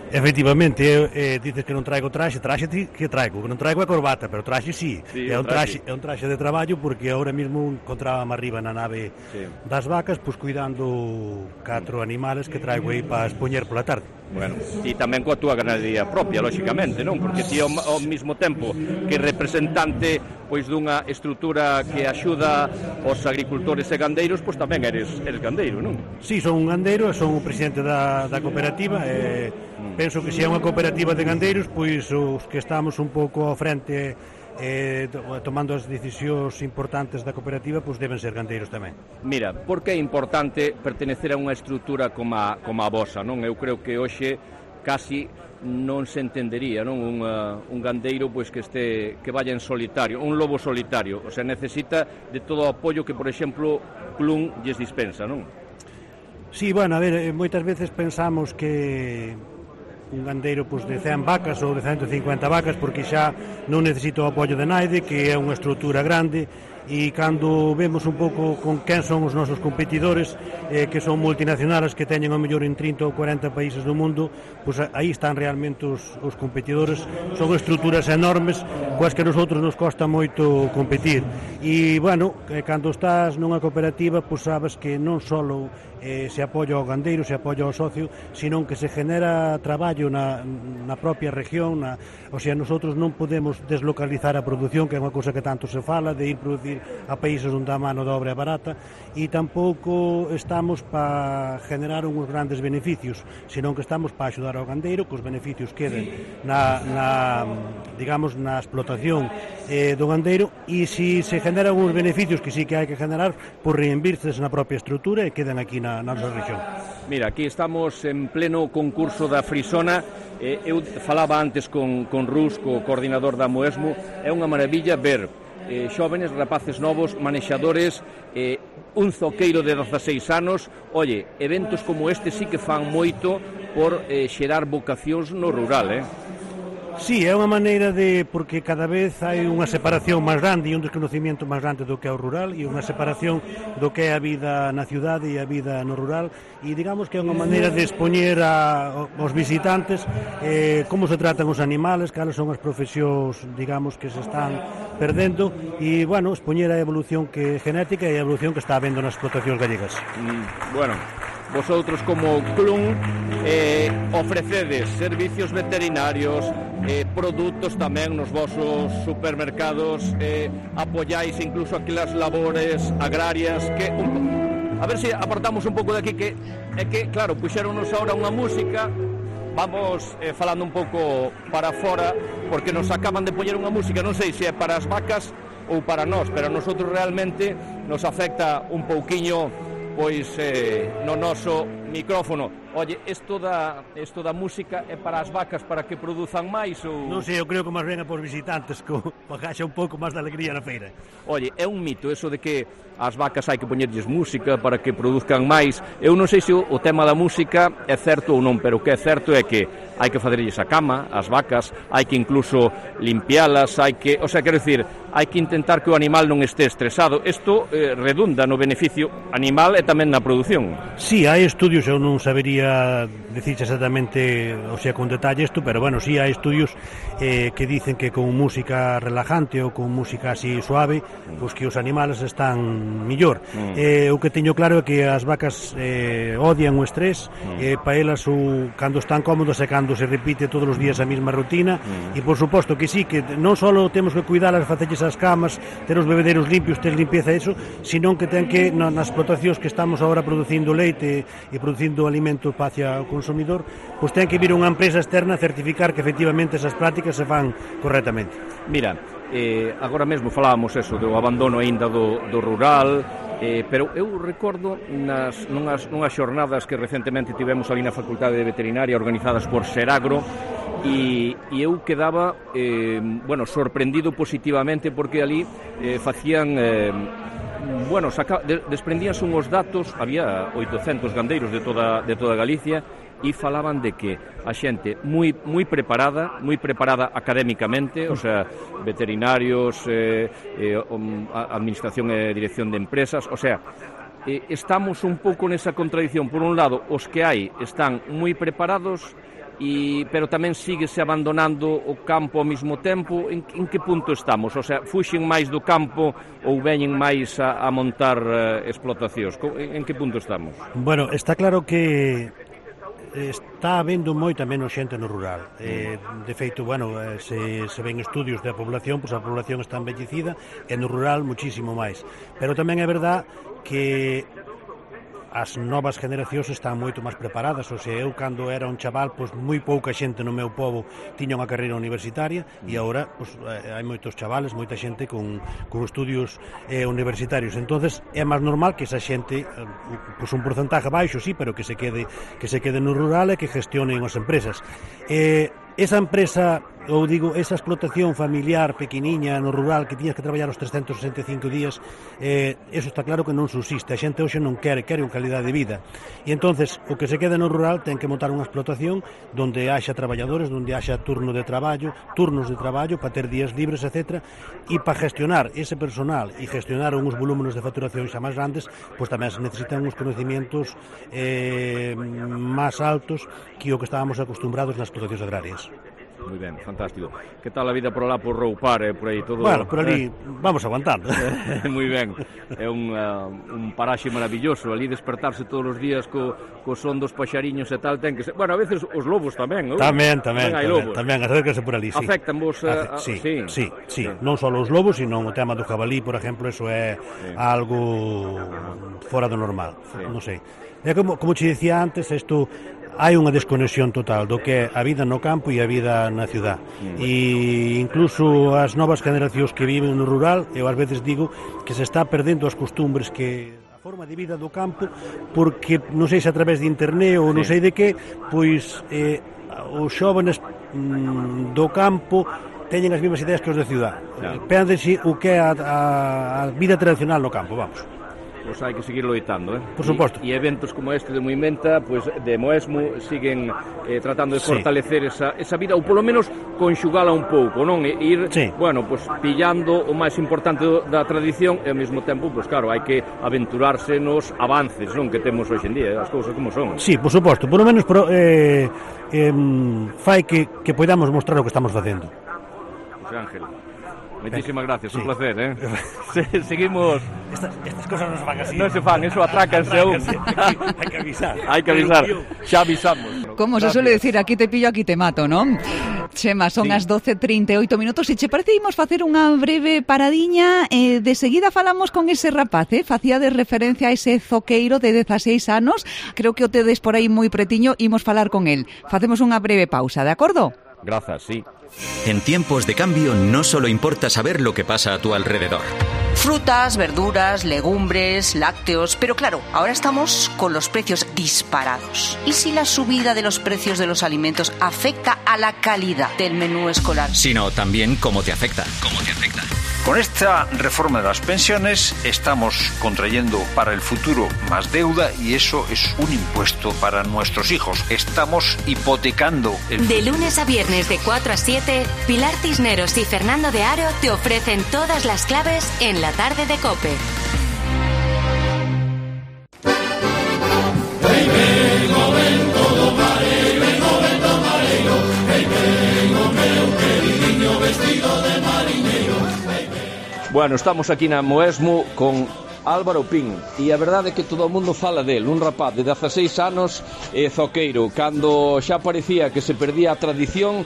G: Efectivamente, eh, dices que non traigo traxe, traxe que traigo, que non traigo a corbata, pero traxe sí,
D: sí
G: é un traxe, traxe é un traxe de traballo, porque agora mesmo encontrábame arriba na nave sí. das vacas, pois cuidando catro animales que traigo aí para expoñer pola tarde.
D: Bueno, e tamén coa túa ganadería propia, lóxicamente, non? Porque ti ao, ao mesmo tempo que representante pois dunha estrutura que axuda aos agricultores e gandeiros, pois tamén eres, eres gandeiro, non?
G: Sí, son un gandeiro, son o presidente da, da cooperativa, e mm. penso que se é unha cooperativa de gandeiros, pois os que estamos un pouco ao frente eh, tomando as decisións importantes da cooperativa, pois deben ser gandeiros tamén.
D: Mira, por que é importante pertenecer a unha estrutura como a, como a vosa, non? Eu creo que hoxe casi non se entendería, non? Un, uh, un gandeiro pois que este que vaya en solitario, un lobo solitario, o sea, necesita de todo o apoio que, por exemplo, Clun lles dispensa, non?
G: Sí, bueno, a ver, moitas veces pensamos que un gandeiro pois, de cen vacas ou de ciento cincuenta vacas porque xa non necesita o apoio de naide, que é unha estrutura grande, e cando vemos un pouco con quen son os nosos competidores, eh, que son multinacionales que teñen ao mellor en trinta ou cuarenta países do mundo, pois aí están realmente os, os competidores, son estruturas enormes coas que a nosotros nos costa moito competir. E, bueno, cando estás nunha cooperativa, pois sabes que non só eh, se apoia ao gandeiro, se apoia ao socio, sino que se genera traballo na, na propia región, na, o sea, nosotros non podemos deslocalizar a produción, que é unha cousa que tanto se fala, de ir producir a países onde a mano de obra é barata, e tampouco estamos para generar uns grandes beneficios, senón que estamos para axudar ao gandeiro, que os beneficios queden na, na digamos, na explotación eh, do gandeiro, e se se generan uns beneficios que sí que hai que generar, por reinvirtes na propia estrutura e quedan aquí na, na nosa región.
D: Mira, aquí estamos en pleno concurso da Frisona. eh, eu falaba antes con, con Rus, co coordinador da Moesmo, é unha maravilla ver eh, xóvenes, rapaces novos, manexadores, eh, un zoqueiro de dezaseis anos. Oye, eventos como este sí que fan moito por eh, xerar vocacións no rural, eh?
G: Sí, é unha maneira de, porque cada vez hai unha separación máis grande e un desconocimiento máis grande do que é o rural, e unha separación do que é a vida na ciudade e a vida no rural, e digamos que é unha maneira de expoñer a, aos visitantes eh, como se tratan os animales, cales son as profesións, digamos, que se están perdendo, e, bueno, expoñer a evolución que genética e a evolución que está habendo nas explotacións gallegas.
D: Mm, bueno, vosotros como Clun eh, ofrecedes servicios veterinarios, eh, produtos tamén nos vosos supermercados, eh, apoiáis incluso aquelas labores agrarias que un, a ver se apartamos un pouco de aquí, que é que, claro, puxéronos ahora unha música. Vamos eh, falando un pouco para fora, porque nos acaban de poñer unha música, non sei se é para as vacas ou para nós, pero a nosotros realmente nos afecta un pouquiño, pois eh, no noso micrófono. Oye, isto da, isto da música é para as vacas para que produzan máis ou...
G: Non sei, eu creo que máis ben é para os visitantes, que haxa un pouco máis de alegría na feira.
D: Oye, é un mito eso de que as vacas hai que poñerlles música para que produzcan máis. Eu non sei se o, o tema da música é certo ou non, pero o que é certo é que hai que facerlles a cama, as vacas, hai que incluso limpialas, hai que... O sea, quero dicir, hai que intentar que o animal non este estresado. Isto eh, redunda no beneficio animal e tamén na produción.
G: Sí, hai estudios, eu non sabería decirche exactamente, o sea, con detalle isto, pero bueno, sí hai estudios eh, que dicen que con música relajante ou con música así suave, pois pues que os animales están millor. Mm. Eh, o que teño claro é que as vacas eh, odian o estrés, mm. eh, para elas o, cando están cómodas e cando se repite todos os días a mesma rutina, mm. e por suposto que sí, que non só temos que cuidalas, facerlles as camas, ter os bebederos limpios, ter limpieza e iso, senón que ten que, nas explotacións que estamos agora producindo leite e producindo alimento hacia o consumidor, pois ten que vir unha empresa externa a certificar que efectivamente esas prácticas se fan correctamente.
D: Mira, eh, agora mesmo falábamos eso do abandono aínda do, do rural, eh, pero eu recordo nas, nunhas, nunhas xornadas que recentemente tivemos ali na Facultade de Veterinaria organizadas por Seragro, e, e eu quedaba eh, bueno, sorprendido positivamente, porque ali eh, facían... Eh, Bueno, saca, de, desprendíanse unhos datos, había oitocentos gandeiros de toda, de toda Galicia, e falaban de que a xente moi, moi preparada, moi preparada académicamente, o sea, veterinarios, eh, eh, administración e dirección de empresas, o sea, eh, estamos un pouco nesa contradición. Por un lado, os que hai están moi preparados, E, pero tamén síguese abandonando o campo ao mesmo tempo. En, en que punto estamos? O sea, fuxen máis do campo ou veñen máis a, a montar uh, explotacións? En, en que punto estamos?
G: Bueno, está claro que está habendo moita menos xente no rural. Eh, de feito, bueno, se, se ven estudios da población, pois a población está envellecida, e no rural muchísimo máis. Pero tamén é verdad que as novas generacións están moito máis preparadas. O sea, eu cando era un chaval, pois moi pouca xente no meu pobo tiña unha carreira universitaria, e agora pois, hai moitos chavales, moita xente con, con estudios eh, universitarios. Entonces é máis normal que esa xente, pois un porcentaje baixo, sí, pero que se quede que se quede no rural e que gestionen as empresas. Eh, esa empresa, ou digo, esa explotación familiar pequeniña no rural que tiñas que traballar os trescentos sesenta e cinco días, eh, eso está claro que non subsiste. A xente hoxe non quere, quere unha calidade de vida. E entonces o que se queda no rural ten que montar unha explotación donde haxa traballadores, donde haxa turno de traballo, turnos de traballo para ter días libres, etcétera. E para gestionar ese personal e gestionar uns volúmenes de facturación xa máis grandes, pois tamén se necesitan uns conocimientos eh, máis altos que o que estábamos acostumbrados nas explotacións agrarias.
D: Moi ben, fantástico. Que tal a vida por lá por Roupar, eh, por aí todo?
G: Bueno, por ali
D: eh?
G: vamos aguantando.
D: Moi ben. É un, uh, un paraxe maravilloso, ali despertarse todos os días co, co son dos paxariños e tal, ten que ser... Bueno, a veces os lobos tamén, non?
G: Tamén, tamén,
D: tamén hai
G: tamén,
D: lobos.
G: tamén, acércase por ali, sí.
D: Afectan vos a...
G: Sí,
D: sí,
G: sí, sí, sí. Non só os lobos, sino o tema do jabalí, por exemplo, eso é sí. algo fora do normal, sí. non sei. É como, como che dicía antes, isto... hai unha desconexión total do que é a vida no campo e a vida na ciudad. Mm. E incluso as novas generacións que viven no rural, eu ás veces digo que se está perdendo as costumbres, que a forma de vida do campo, porque non sei se a través de internet ou non sei de que, pois eh, os xóvenes mm, do campo teñen as mesmas ideas que os de ciudad. Claro. Péndense o que é a, a, a vida tradicional no campo, vamos.
D: Pois hai que seguir loitando, eh?
G: Por suposto.
D: E, e eventos como este de Moimenta, pois de Moesmo siguen eh, tratando de fortalecer sí. esa, esa vida, ou polo menos conxugala un pouco, non? E ir, sí. bueno, pois pillando o máis importante do, da tradición e ao mesmo tempo, pois claro, hai que aventurarse nos avances, non? Que temos hoxe en día, as cousas como son.
G: Sí, por suposto, por lo menos pro, eh, eh, fai que, que podamos mostrar o que estamos facendo.
D: Pois Ángel, moitísimas gracias, sí. un placer, eh? Se, seguimos...
G: Estas, estas cosas non se fan así.
D: Non se fan, eso atrácanse a un.
G: Hai que avisar.
D: Hai que avisar, xa avisamos.
C: Como se suele decir, aquí te pillo, aquí te mato, non? Chema, son sí. as doce e trinta e oito minutos e che parece imos facer unha breve paradiña e de seguida falamos con ese rapaz, eh? Facía de referencia a ese zoqueiro de dezaseis anos, creo que o tedes por aí moi pretiño, imos falar con el. Facemos unha breve pausa, de acordo?
D: Grazas, sí.
H: En tiempos de cambio no solo importa saber lo que pasa a tu alrededor.
I: Frutas, verduras, legumbres, lácteos, pero claro, ahora estamos con los precios disparados. ¿Y si la subida de los precios de los alimentos afecta a la calidad del menú escolar?
H: Sino también cómo te afecta. ¿Cómo te afecta?
J: Con esta reforma de las pensiones estamos contrayendo para el futuro más deuda y eso es un impuesto para nuestros hijos. Estamos hipotecando el...
K: De lunes a viernes de cuatro a siete, Pilar Cisneros y Fernando de Aro te ofrecen todas las claves en la tarde de COPE.
L: Hey, vengo, ven, todo mareiro, vengo, ven, todo mareiro. Hey, vengo, meu queridinho vestido de mariñeiro. Hey,
D: bueno, estamos aquí na Moesmo con Álvaro Pín e a verdade é que todo o mundo fala del, un rapaz de dezaseis anos e zoqueiro, cando xa parecía que se perdía a tradición.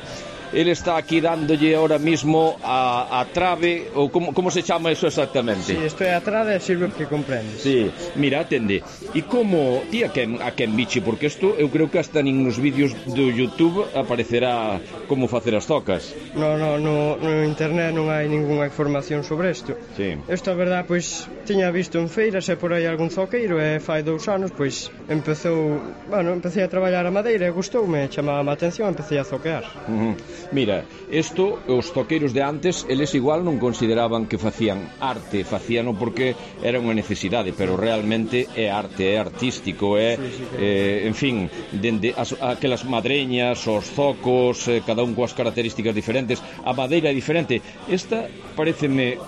D: Ele está aquí dándolle ahora mismo a, a trave, ou como, como se chama eso exactamente?
M: Sí, isto é a trave e sirve que comprendes.
D: Sí, mira, atende. E como, ti a quen, a quen biche, porque isto eu creo que hasta nin nos vídeos do YouTube aparecerá como facer as zocas.
M: No, no, no, no internet non hai ningunha información sobre isto.
D: Sí.
M: Isto, a verdad, pois, tiña visto en feiras e por aí algún zoqueiro e fai dous anos, pois, empezou, bueno, empecé a traballar a madeira e gustoume, chamaba a atención, empecé a zoquear.
D: Uh -huh. Mira, isto, os zoqueiros de antes, eles igual non consideraban que facían arte, facíano porque era unha necesidade, pero realmente é arte, é artístico, é, sí, sí, que... eh, en fin, dende as, aquelas madreñas, os zocos, eh, cada un coas características diferentes, a madeira é diferente. Esta pareceme...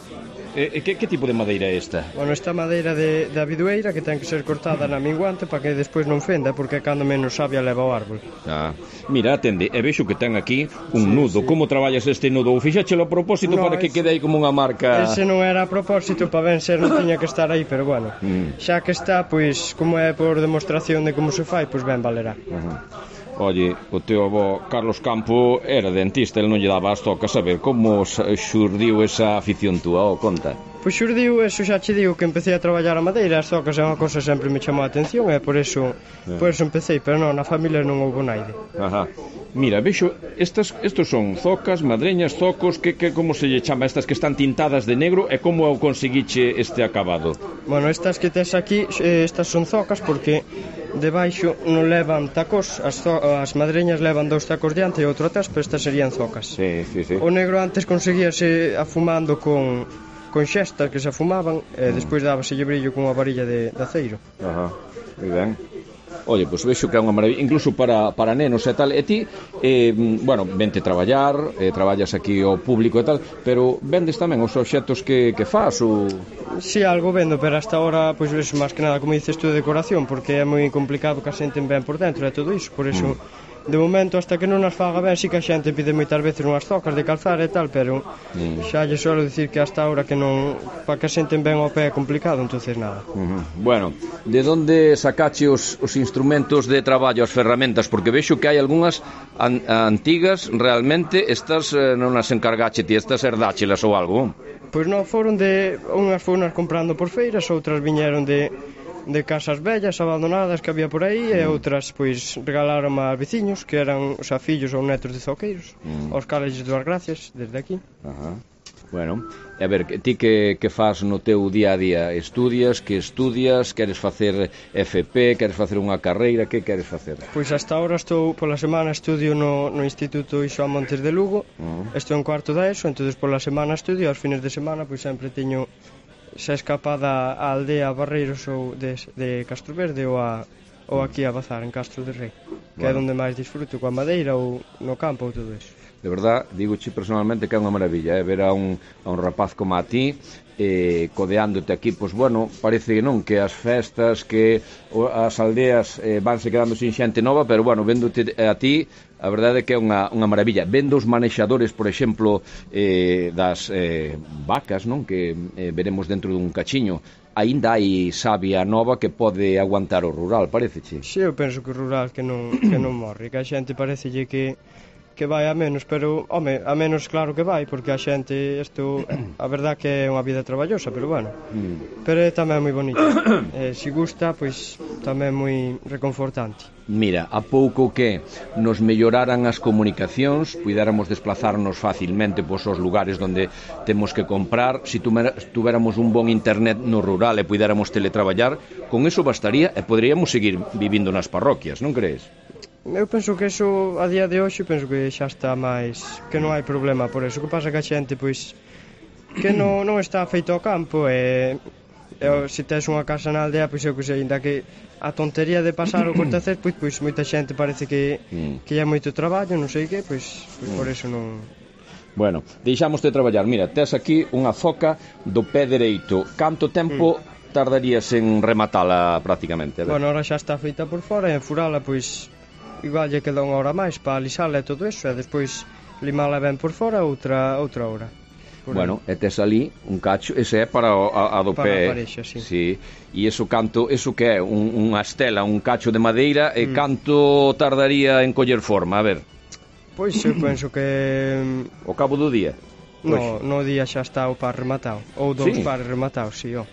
D: Eh, que, que tipo de madeira é esta?
M: Bueno, esta madeira de, de abidueira que ten que ser cortada na minguante para que despois non fenda, porque cando menos sabia leva o árbol.
D: Ah, mira, atende, e vexo que ten aquí un sí, nudo. Sí. Como traballas este nudo? Ou fixáchelo a propósito no, para que ese, quede aí como unha marca?
M: Ese non era a propósito, para ben ser non tiña que estar aí, pero bueno, mm. xa que está, pois, como é por demostración de como se fai, pois ben valerá.
D: Uh -huh. Oye, o teu avó Carlos Campo era dentista, ele non lle daba as tocas. A ver, como xurdiu esa afición túa, o conta?
M: Pois xurdiu, eso xa che digo que empecé a traballar a madeira, as zocas é unha cosa que sempre me chamou a atención e por eso,
N: Yeah.
M: por eso empecé, pero non, na familia non houve naide.
N: Ajá. Mira, vexo, estas, estos son zocas, madreñas, zocos, que, que como se lle chama, estas que están tintadas de negro, e como conseguiche este acabado?
M: Bueno, estas que tes aquí, eh, estas son zocas porque debaixo non levan tacos, as, zo as madreñas levan dous tacos diante e outro atrás, pero estas serían zocas.
N: Sí, sí, sí.
M: O negro antes conseguíase afumando con, con xestas que se afumaban e despois dábaselle brillo con unha varilla de, de aceiro.
N: Ajá, moi ben. Oye, pois vexo que é unha maravilla, incluso para, para nenos e tal. E ti, eh, bueno, vente traballar, eh, traballas aquí ao público e tal, pero vendes tamén os obxectos que, que faz ou...
M: Si, sí, algo vendo, pero hasta ahora, pois ves, máis que nada, como dices tú, de decoración, porque é moi complicado que a xente ben por dentro e todo iso, por iso... Mm. De momento, hasta que non as faga ben, si que a xente pide moitas veces unhas zocas de calzar e tal, pero mm. xa lle suelo dicir que hasta ahora que non, para que a xente ben ao pé é complicado, entonces nada.
N: Uh -huh. Bueno, de onde sacache os, os instrumentos de traballo, as ferramentas? Porque vexo que hai algunhas an, antigas, realmente, estas eh, non as encargache ti, estas herdáchelas ou algo?
M: Pois non, foron de, unhas foron comprando por feiras, outras viñeron de... de casas vellas abandonadas que había por aí e outras pois regalaron a veciños que eran os fillos ou netos de zoqueiros, mm. aos cales lles dou as gracias desde aquí.
N: Ajá. Bueno, e a ver, ti que, que faz no teu día a día? Estudias, que estudias, queres facer F P, queres facer unha carreira, que queres facer?
M: Pois hasta ahora estou, pola semana estudio no, no Instituto Xoán Montes de Lugo, mm. estou en cuarto da ESO, entonces pola semana estudio, aos fines de semana pois sempre teño xa escapada a aldea Barreiros ou de, de Castro Verde ou, a, ou aquí a Bazar, en Castro de Rei, que bueno. É onde máis disfruto, coa madeira ou no campo ou todo eso.
N: De verdad, digoche personalmente que é unha maravilla, eh? Ver a un, a un rapaz como a ti eh, codeándote aquí, pois bueno, parece que non, que as festas, que as aldeas eh, vanse quedando sin xente nova, pero bueno, véndote a ti, a verdade é que é unha, unha maravilla. Vendo os manexadores, por exemplo, eh, das eh, vacas, non? Que eh, veremos dentro dun cachiño, aínda hai savia nova que pode aguantar o rural, pareceche?
M: Si, eu penso que o rural que non, que non morre, que a xente parecelle que que vai a menos, pero, home, a menos claro que vai, porque a xente, isto, a verdad que é unha vida traballosa, pero bueno, mm. pero é tamén moi bonito. Eh, se gusta, pois, tamén moi reconfortante.
N: Mira, a pouco que nos melloraran as comunicacións, puidéramos desplazarnos facilmente pois aos lugares onde temos que comprar, se tuvéramos un bon internet no rural e puidéramos teletraballar, con eso bastaría e poderíamos seguir vivindo nas parroquias, non crees?
M: Eu penso que eso, a día de hoxe, penso que xa está máis, que non hai problema por eso. O que pasa que a xente, pois, que non, non está feito ao campo e, e se tes unha casa na aldea, pois eu que sei, ainda que a tontería de pasar o cortacer, pois, pois moita xente parece que, que hai moito traballo, non sei que, pois, pois por eso non...
N: Bueno, deixamos de traballar. Mira, tes aquí unha zoca do pé dereito. Canto tempo mm. tardarías en rematala prácticamente?
M: Bueno, ahora xa está feita por fora e en furala, pois... igual lle queda unha hora máis para alisala e todo eso e despois limala ben por fora outra outra hora.
N: Por bueno, aí. E tes ali un cacho, ese é para o, a, a do
M: para
N: pé.
M: Para a parexa, sí.
N: Sí. E iso canto, eso que é un, unha estela, un cacho de madeira e mm. canto tardaría en coller forma, a ver.
M: Pois eu penso que
N: ao cabo do día.
M: No, pois... no día xa está o par rematado, ou dous sí. pares rematados, si, sí, ó.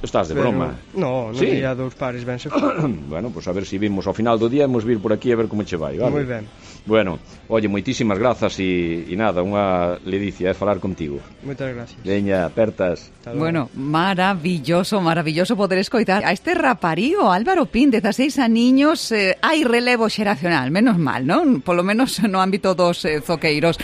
N: Estás de
M: pero,
N: broma?
M: No, no sí. Día dous pares ben se
N: Bueno, pois pues a ver se si vimos ao final do día, hemos vir por aquí a ver como che vai, vale?
M: Moi ben.
N: Bueno, oye, moitísimas grazas e, e nada, unha ledicia é eh, falar contigo.
M: Moitas gracias.
N: Veña, apertas.
C: Bueno, maravilloso, maravilloso poder escoitar a este raparío Álvaro Pín, dezaseis aniños, eh, hai relevo xeracional, menos mal, non? Polo menos no ámbito dos eh, zoqueiros.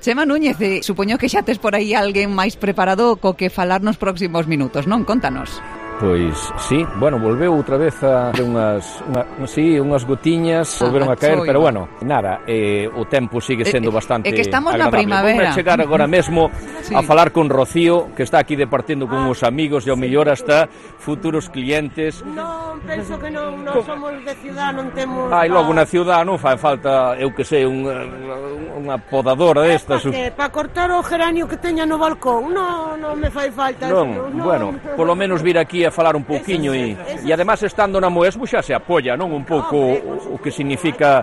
C: Chema Núñez, eh, supoño que xa tes por aí alguén máis preparado co que falar nos próximos minutos, non? Contanos.
D: Pois, sí, bueno, volveu outra vez a unhas, unha, sí, unhas gotiñas, volveron ah, a caer, pero bueno, nada, eh, o tempo sigue sendo bastante
C: agradable. É que estamos
D: agradable.
C: na primavera.
D: Vou chegar agora mesmo sí. a falar con Rocío, que está aquí departindo con os amigos e ao mellor hasta futuros clientes.
O: Non, penso que non, non somos de ciudad, non temos...
D: Ai, logo na ciudad non fai falta, eu que sei, unha, unha podadora destas.
O: Para pa cortar o geranio que teña no balcón, non, non me fai falta.
D: Non,
O: non,
D: bueno,
O: non,
D: polo menos vir aquí a falar un pouquiño e, e además estando na Moesmo xa se apoia, non? Un pouco o, o que significa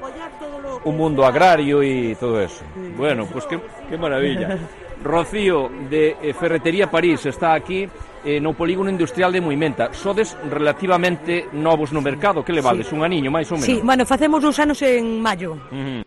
D: o mundo agrario e todo eso. Bueno, pois pues que, que maravilla. Rocío, de eh, Ferretería París, está aquí eh, no polígono industrial de Moimenta. Sodes relativamente novos no mercado, que levades, sí. Un aniño máis ou menos?
P: Sí, bueno, facemos uns anos en maio.
D: Uh -huh.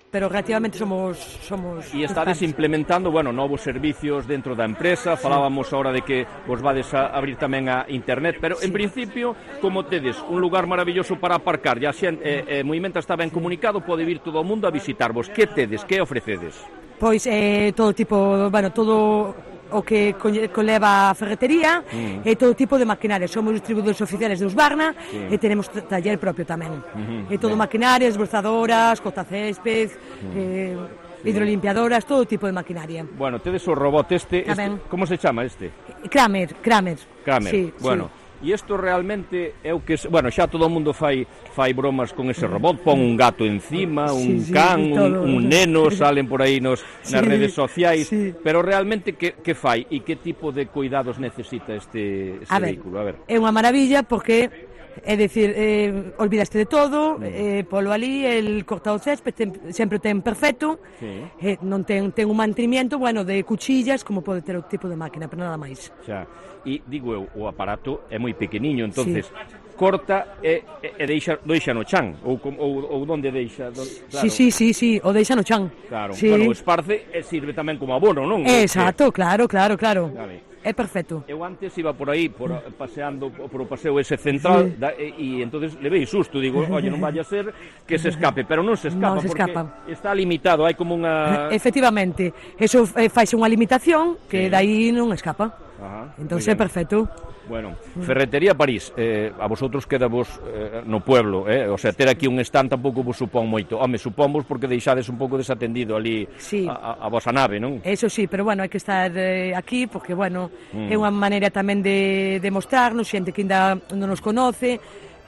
P: Pero relativamente somos somos
D: e estades implementando, bueno, novos servicios dentro da empresa. Falábamos ahora de que vos vades a abrir tamén a internet, pero sí. En principio, como tedes un lugar maravilloso para aparcar, ya xa eh, eh, Moimenta está ben comunicado, pode vir todo o mundo a visitarvos. Que tedes, que ofrecedes?
P: Pois eh, todo tipo, bueno, todo o que conleva a ferretería mm. e todo tipo de maquinaria. Somos distribuidores oficiales de Husqvarna sí. E tenemos taller propio tamén. Uh -huh. E todo Bien. Maquinaria, esbozadoras, cortacésped, mm. eh, hidrolimpiadoras, todo tipo de maquinaria.
D: Bueno, tedes o robot este, este como se chama este?
P: Kramer, Kramer.
D: Kramer,
P: sí,
D: bueno.
P: Sí.
D: E isto realmente é o que... Bueno, xa todo o mundo fai fai bromas con ese robot, pon un gato encima, un sí, sí, can, un, un neno, salen por aí nos, sí, nas redes sociais, sí. Pero realmente que, que fai e que tipo de cuidados necesita este, este
P: a
D: vehículo?
P: Ver, a ver, é unha maravilla porque... É dicir, eh, olvidaste de todo, eh, polo ali, el cortado césped ten, sempre ten perfecto, sí. eh, non ten, ten un mantenimiento, bueno, de cuchillas, como pode ter o tipo de máquina, pero nada máis.
D: Xa, e digo eu, o aparato é moi pequeniño, entonces... Sí. Corta e, e deixa, deixa no chan ou, ou, ou donde deixa don,
P: claro. Sí, sí, sí, sí, o deixa no chan
D: claro,
P: sí.
D: Bueno, o esparce e sirve tamén como abono, non?
P: Exacto, claro, claro, claro
D: vale.
P: É perfecto.
D: Eu antes iba por aí por, paseando por o paseo ese central sí. da, e, e entonces levei susto, digo, oye, non vaya a ser que se escape, pero non se escapa,
P: non se
D: porque
P: escapa.
D: Está limitado, hai como unha...
P: Efectivamente, eso eh, faise unha limitación que sí. Dai non escapa.
D: Ajá,
P: entón é perfecto.
D: Bueno, Ferretería París, eh, a vosotros quedavos eh, no pueblo, eh? O sea, ter aquí un stand tampouco vos supón moito. Home, supónvos porque deixades un pouco desatendido ali
P: sí.
D: a, a, a vosa nave, non?
P: Eso sí, pero bueno, hai que estar eh, aquí porque, bueno, mm. é unha maneira tamén de, de mostrarnos, xente que ainda non nos conoce.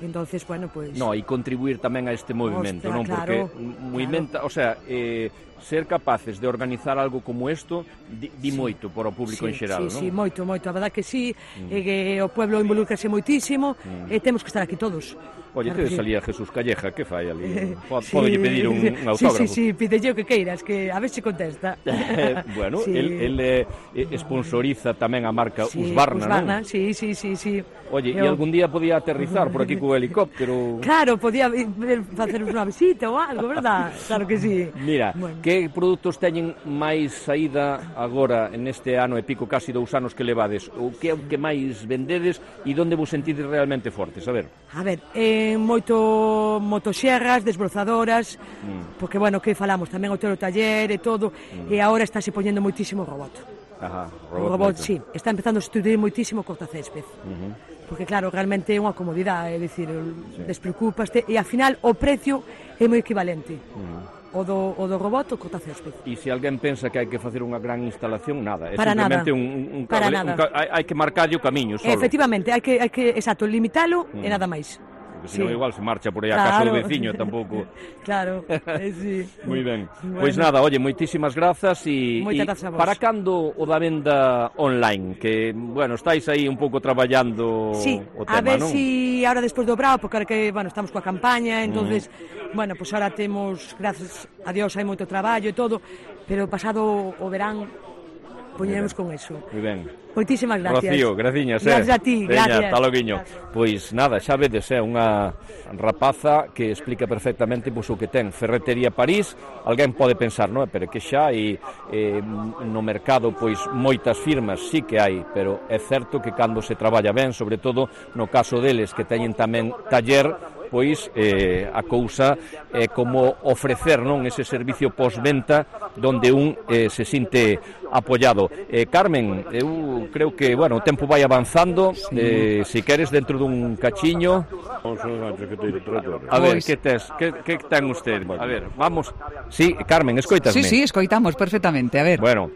P: Entonces, bueno, pues...
D: No, e contribuir tamén a este movimento,
P: Ostra,
D: non?
P: Claro,
D: porque movimenta, claro. O sea, eh, ser capaces de organizar algo como isto di, di sí. moito para o público
P: sí,
D: en xeral,
P: sí,
D: non?
P: Sí, moito, moito, a verdad que sí, mm. e que o pueblo involúcrase moitísimo, mm. e temos que estar aquí todos.
D: Oye, claro, te salía Jesús Calleja, que fai ali? Pode sí. pedir un, un autógrafo?
P: Sí, sí, sí, pidelle o que queiras, que a ver se contesta.
D: Bueno,
P: sí.
D: el, el eh, sponsoriza tamén a marca
P: sí,
D: Husqvarna,
P: Husqvarna,
D: non?
P: Sí, sí, sí, sí.
D: Oye, e algún día podía aterrizar por aquí co helicóptero?
P: Claro, podía facer unha visita ou algo, verdad? Claro que sí.
D: Mira, bueno. Que produtos teñen máis saída agora neste ano e pico, casi dous anos que levades? O que é o que máis vendedes e onde vos sentides realmente fortes? A ver.
P: A ver, eh, moito motoxerras, desbrozadoras, mm. porque, bueno, que falamos, tamén o teu taller e todo, mm. e agora está se poñendo moitísimo robot.
D: Ajá,
P: robot, o robot, sí, está empezando a estudiar moitísimo cortacésped. Uh -huh. Porque, claro, realmente é unha comodidade, é dicir, sí. despreocupaste, e, ao final, o precio é moi equivalente. Uh -huh. O do, o do robot o cortacésped.
D: E se alguén pensa que hai que facer unha gran instalación, nada, é
P: para
D: simplemente
P: nada.
D: un, un
P: para
D: cable,
P: nada.
D: Un, hai, hai que marcarlle o camiño solo.
P: Efectivamente, hai que, hai que exacto, limitalo mm. e nada máis.
D: Porque senón sí. igual se marcha por aí a claro. Casa do veciño tampouco.
P: Claro, eh, sí.
D: Moi ben.
P: Bueno.
D: Pois pues nada, oye, moitísimas grazas e, e para cando o da venda online, que, bueno, estáis aí un pouco traballando
P: sí,
D: o tema,
P: a ver
D: non?
P: si ahora despois do brao, porque ahora que, bueno, estamos coa campaña, entonces, mm. bueno, pues ahora temos, gracias a Dios, hai moito traballo e todo, pero pasado o verán poñeremos con eso.
D: Moi ben.
P: Moitísimas gracias.
D: Rocío, graciñas, eh.
P: Gracias a ti,
D: Veña,
P: gracias.
D: Hasta loguiño. Pois nada, xa vedes, é unha rapaza que explica perfectamente pois, o que ten Ferretería París. Alguén pode pensar, non, pero que xa hai eh, no mercado pois moitas firmas, sí que hai, pero é certo que cando se traballa ben, sobre todo no caso deles que teñen tamén taller, pois eh, a cousa é como ofrecer, non, ese servicio postventa donde un eh, se sinte apoiado. Eh, Carmen, eu creo que, bueno, o tempo vai avanzando, sí. eh, se queres dentro dun cachiño. A ver, que tes, que, que ten usted? A ver, vamos. Sí, Carmen, escoitasme?
C: Sí, sí, escoitamos perfectamente, a ver.
D: Bueno,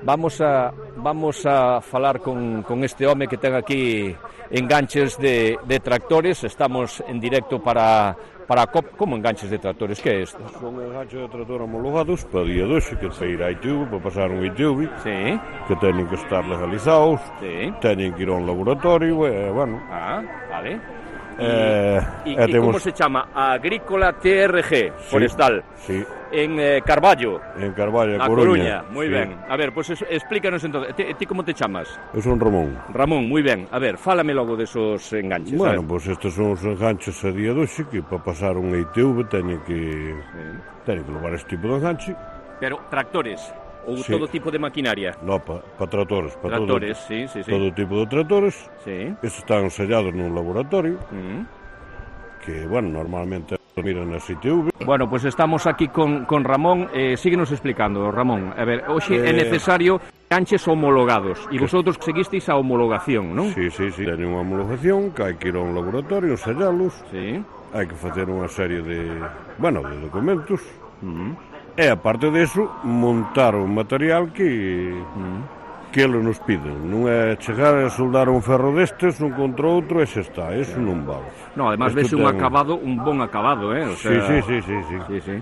D: vamos a vamos a falar con, con este home que ten aquí enganches de, de tractores. Estamos en directo para para a COP. Como enganches de tractores? Que é isto?
Q: Son enganches de tractor homologados para día doce, que para ir a I T V, para pasar un I T V,
D: sí.
Q: Que teñen que estar legalizados,
D: sí.
Q: Teñen que ir a un laboratorio, e, bueno.
D: Ah, vale.
Q: Eh,
H: e,
Q: e
H: e
Q: temos...
H: como se chama? Agrícola T R G, forestal.
Q: Sí.
H: En eh, Carballo.
Q: En Carballo,
H: A
Q: Coruña.
H: Coruña, moi
Q: sí.
H: ben. A ver, pois pues explícanos entonces. Ti, ti como te chamas?
Q: Eu son Ramón.
H: Ramón, moi ben. A ver, fálame logo desos enganches.
Q: Bueno, pois pues estes son os enganches a día de hoxe que para pasar un I T V teñen que sí. teñen que levar este tipo de enganche.
H: Pero tractores ou
Q: sí.
H: todo tipo de maquinaria?
Q: No, para pa tractores, para
H: tractores,
Q: todo,
H: sí, sí, sí.
Q: todo tipo de tractores.
H: Sí.
Q: Estes están sellados nun laboratorio.
H: Mm.
Q: Que, bueno, normalmente miran na I T V.
H: Bueno, pois pues estamos aquí con, con Ramón. Eh, síguenos explicando, Ramón. A ver, hoxe eh... é necesario enganches homologados e vosotros seguisteis a homologación, non?
Q: Sí, sí, sí. Teñen unha homologación que hai que ir a un laboratorio, sellalos.
H: Sí.
Q: Hai que facer unha serie de, bueno, de documentos.
H: Mm.
Q: E, aparte deso, montar un material que... Mm. que eles nos piden. Non é chegar a soldar un ferro destes un contra outro e xa está, eso non vale.
H: No, además ves un ten... acabado, un bon acabado, eh? O sea...
Q: Sí, sí, sí, sí, sí.
H: sí, sí.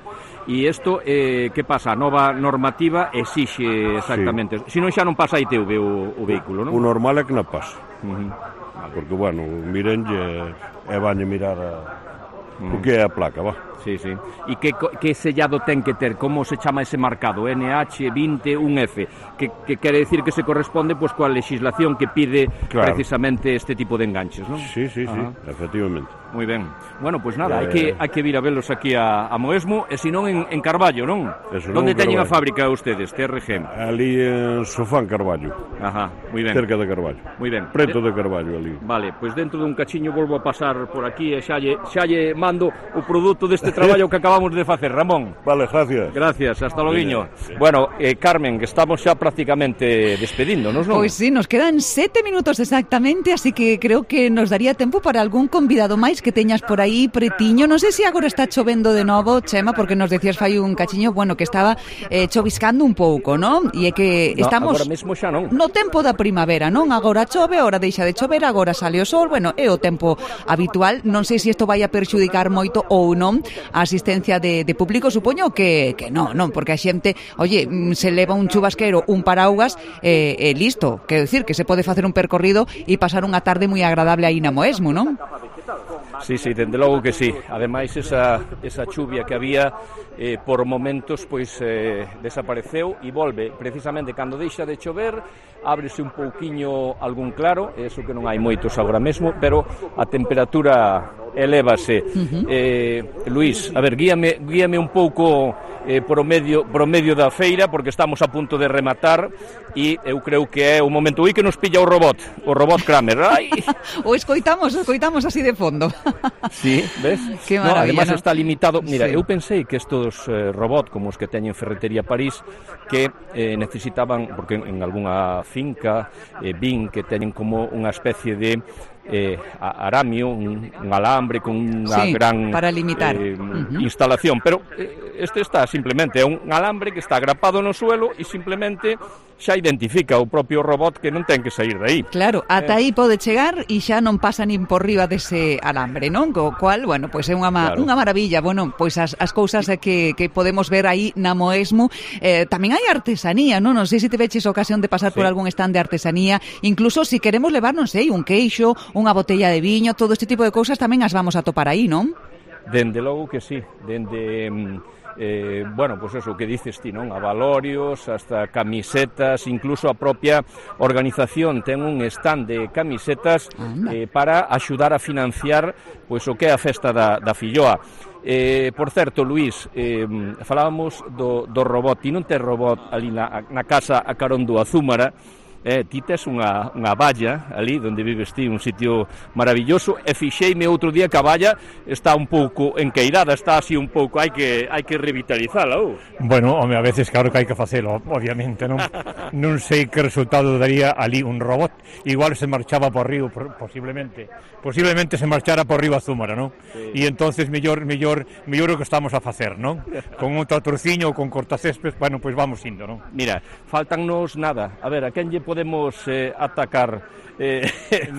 H: E isto, eh, que pasa? A nova normativa exixe exactamente. Sí. Se non xa non pasa a I T V o, o vehículo, non?
Q: O normal é que non pasa.
H: Uh -huh.
Q: Porque, bueno, mirenlle e vanlle mirar a... uh -huh. o que é a placa, va.
H: Sí, sí. E que, que sellado ten que ter? Como se chama ese marcado? N H veintiuno F, que, que quere decir que se corresponde pues, coa legislación que pide claro. precisamente este tipo de enganches, non?
Q: Sí, sí, sí, efectivamente.
H: Moi ben. Bueno, pois pues nada, eh... hai, que, hai que vir a velos aquí a, a Moesmo, e senón en, en Carballo, non? Donde teñen a fábrica ustedes, T R G?
Q: Ali en Sofán, Carballo.
H: Ajá, moi ben.
Q: Cerca de Carballo.
H: Moi ben.
Q: Preto de Carballo, ali.
H: Vale, pois pues dentro dun cachiño volvo a pasar por aquí e xa lle, xa lle mando o produto deste traballo que acabamos de facer, Ramón.
Q: Vale, gracias.
H: Gracias, hasta loguiño. Sí. Bueno, eh, Carmen, que estamos xa prácticamente despedíndonos, non?
C: Pois sí, nos quedan sete minutos exactamente, así que creo que nos daría tempo para algún convidado máis que teñas por aí pretiño. Non sei se agora está chovendo de novo, Chema, porque nos decías fai un cachiño, bueno, que estaba eh, choviscando un pouco, non? E é que estamos
H: no, agora mesmo xa non.
C: No tempo da primavera, non? Agora chove, agora deixa de chover, agora sale o sol, bueno, é o tempo habitual. Non sei se isto vai a perxudicar moito ou non a asistencia de, de público, supoño que, que non, non, porque a xente, oye, se leva un chubasquero, un paraugas, e eh, eh, listo, quero dicir que se pode facer un percorrido e pasar unha tarde moi agradable aí na Moesmo, non?
H: Sí, sí, dende logo que sí. Ademais, esa, esa chuvia que había eh, por momentos pois eh, desapareceu e volve precisamente cando deixa de chover, ábrese un pouquiño algún claro, eso que non hai moitos agora mesmo, pero a temperatura elévase. Uh-huh. eh, Luís, a ver, guíame, guíame un pouco eh, por, o medio, por o medio da feira, porque estamos a punto de rematar e eu creo que é o momento aí que nos pilla o robot, o robot Kramer. Ai.
C: O escoitamos, o escoitamos así de fondo.
H: Sí, ves?
C: Que maravilla,
H: no, además
C: ¿no?
H: Está limitado. Mira,
C: sí.
H: Eu pensei que estos eh, robots como os que teñen Ferretería París que eh, necesitaban, porque en, en algunha finca eh, vin que teñen como unha especie de eh, aramio, un, un alambre con unha
C: sí,
H: gran
C: para limitar.
H: Eh,
C: uh-huh.
H: instalación, pero eh, este está simplemente é un alambre que está agrapado no suelo e simplemente xa identifica o propio robot que non ten que sair de aí.
C: Claro, ata aí pode chegar e xa non pasa nin por riba dese alambre, non? Co cual, bueno, pois é unha, ma claro. unha maravilla. Bueno, pois as, as cousas que, que podemos ver aí na Moesmo. Eh, tamén hai artesanía, non? Non sei se te veches a ocasión de pasar sí. por algún stand de artesanía. Incluso se si queremos levar, non sei, un queixo, unha botella de viño, todo este tipo de cousas tamén as vamos a topar aí, non?
H: Dende logo que sí, dende... Eh, bueno, pues eso que dices ti, non? A valorios, hasta camisetas, incluso a propia organización ten un stand de camisetas eh, para axudar a financiar pois o que é a festa da, da filloa. Eh, por certo, Luís, eh, falábamos do, do robot, ti non tes robot ali na, na casa a carón do Azúmara. Eh, ti tes unha, unha valla ali onde vives ti, un sitio maravilloso, e fixeime outro día que a valla está un pouco enqueirada, está así un pouco, hai que hai que revitalizala. Oh.
A: Bueno, home, a veces claro que hai que facelo, obviamente, non? Non sei que resultado daría ali un robot, igual se marchaba por río, posiblemente, posiblemente se marchara por río Azúmara, non? Sí. E entonces mellor, mellor, mellor o que estamos a facer, non? Con un tratorciño ou con cortacésped, bueno, pois pues vamos indo, non?
H: Mira, faltannos nada, a ver, a quen lle podemos eh, atacar eh,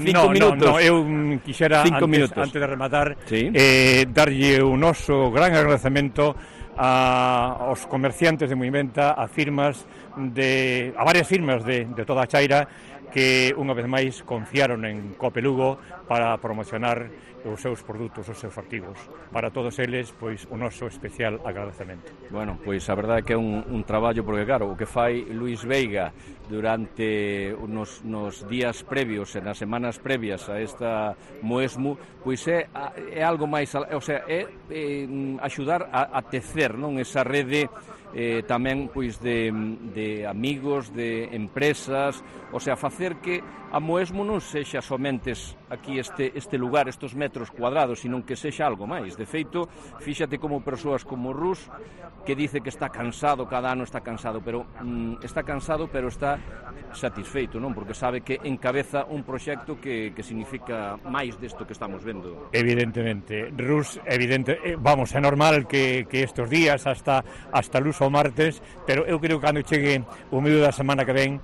H: cinco
A: no,
H: minutos.
A: No, no, eu quixera
H: cinco
A: antes,
H: minutos.
A: antes de rematar
H: ¿Sí?
A: eh, darlle un noso gran agradecemento a, aos comerciantes de Moimenta, a firmas de, a varias firmas de, de toda a Chaira que unha vez máis confiaron en Cope Lugo para promocionar os seus produtos, os seus artigos. Para todos eles, pois, o noso especial agradecemento.
H: Bueno, pois a verdade é que é un, un traballo, porque claro, o que fai Luís Veiga durante nos, nos días previos e nas semanas previas a esta Moesmo, pois é, é algo máis, o sea, é, é axudar a, a tecer, non, esa rede eh, tamén pois de, de amigos, de empresas, o sea, facer que a Moesmo non sexa somentes aquí este, este lugar, estes metros cuadrados, sino que sexa algo máis. De feito, fíxate como persoas como Rus, que dice que está cansado, cada ano está cansado, pero mm, está cansado, pero está satisfeito, non? Porque sabe que encabeza un proxecto que, que significa máis desto que estamos vendo.
A: Evidentemente, Rus, evidente, eh, vamos, é normal que, que estes días hasta hasta luz o martes, pero eu creo que cando chegue o medio da semana que ven,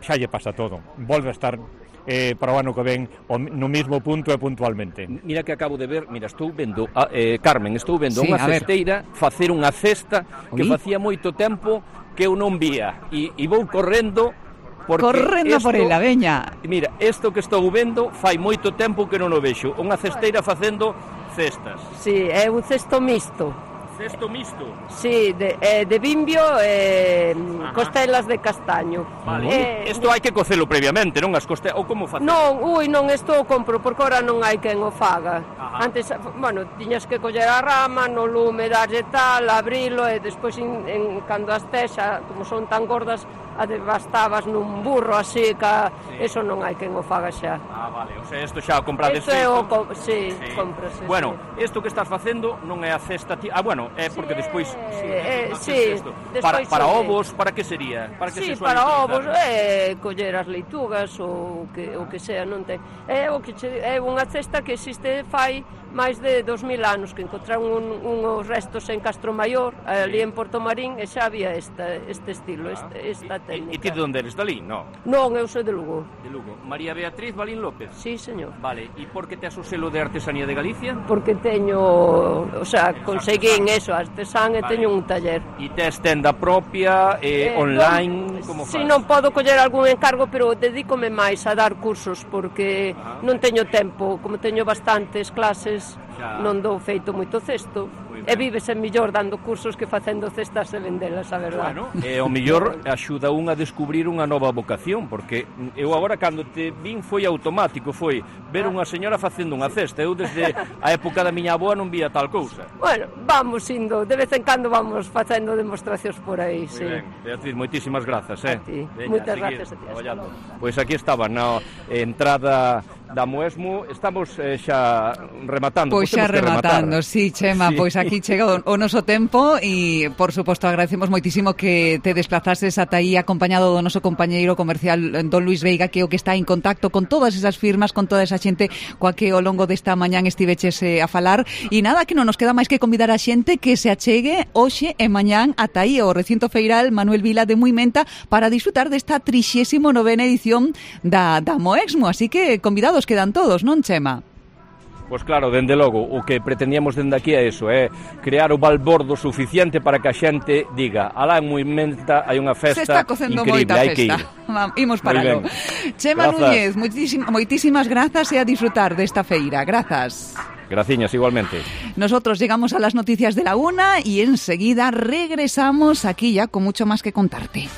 A: xa lle pasa todo. Volve a estar eh, para o ano que ven no mismo punto e puntualmente.
H: Mira que acabo de ver, mira, estou vendo, a, eh, Carmen, estou vendo
C: sí,
H: unha cesteira facer unha cesta que Ui. facía moito tempo que eu non vía, e, e vou correndo
C: correndo esto, por ela, veña.
H: Mira, isto que estou vendo fai moito tempo que non o vexo, unha cesteira facendo cestas.
R: Sí, é un cesto mixto.
H: Cesto mixto?
R: Sí, de, eh, de bimbio e eh, costelas de castaño.
H: Vale. Isto eh, hai que cocelo previamente, non? As costelas, ou como facelo?
R: Non, ui, non, isto o compro, porque ora non hai quen o faga. Ajá. Antes, bueno, tiñas que coller a rama, no lume, darlle tal, abrilo, e despois, en, en, cando as texa, como son tan gordas, bastabas nun burro así, ca... sí. Eso non hai quen o faga xa.
H: Ah, vale, o sea, isto xa o comprades
R: feito. Isto é o... Co... Sí, sí. Comprase.
H: Bueno, isto que estás facendo non é a cesta... Ti... Ah, bueno, é porque sí, despois... Sí,
R: eh,
H: no,
R: sí.
H: Despois para, para sí. ovos, para que sería? Para que
R: sí,
H: se
R: para ovos, é coller as leitugas ou que, o que sea, non ten... É, o que che... é unha cesta que existe fai máis de dos mil anos, que encontraron un, uns restos en Castromaior, ali en Porto Marín, e xa había esta, este estilo, esta, esta técnica.
H: E ti de onde eres, Dalí, non?
R: Non, eu sou de Lugo.
H: De Lugo. María Beatriz Balín López?
R: Sí, señor.
H: Vale, e por que tes o selo de artesanía de Galicia?
R: Porque teño, o sea, conseguín eso, artesán, e vale. Teño un taller.
H: E tes tenda propia, eh, eh, online,
R: non,
H: como faz?
R: Si, non podo coller algún encargo, pero dedícome máis a dar cursos, porque ajá. Non teño tempo, como teño bastantes clases, xa. Non dou feito moito cesto. E vívese mellor dando cursos que facendo cestas e vendelas, a verdade.
H: Bueno, e o mellor axuda un a descubrir unha nova vocación, porque eu agora cando te vin foi automático, foi ver unha señora facendo unha cesta. Eu desde a época da miña avoa non vía tal cousa.
R: Bueno, vamos indo, de vez en cando vamos facendo demostracións por aí,
H: muy
R: sí.
H: Ben. Beatriz, moitísimas grazas, eh.
R: A ti, moitas gracias a ti.
H: Pois aquí estaba na entrada da Moesmo, estamos eh, xa rematando.
C: Pois xa rematando, sí, Chema, sí. Pois aquí chega o, o noso tempo e, por suposto, agradecemos moitísimo que te desplazases ata aí acompañado do noso compañeiro comercial don Luís Veiga, que é o que está en contacto con todas esas firmas, con toda esa xente coa que ao longo desta mañán estiveches eh, a falar, e nada, que non nos queda máis que convidar a xente que se achegue hoxe e mañán ata aí ao recinto feiral Manuel Vila de Muimenta para disfrutar desta trixésima novena edición da, da Moesmo, así que convidados quedan todos, non, Chema?
H: Pois claro, dende logo, o que pretendíamos dende aquí é iso, é crear o balbordo suficiente para que a xente diga, alá en Muimenta hai unha festa increíble, hai que ir.
C: Imos paralo. Chema Núñez, moitísimas, moitísimas grazas e a disfrutar desta feira. Grazas.
H: Graciñas, igualmente.
C: Nosotros llegamos a las noticias de la una y enseguida regresamos aquí ya con mucho más que contarte.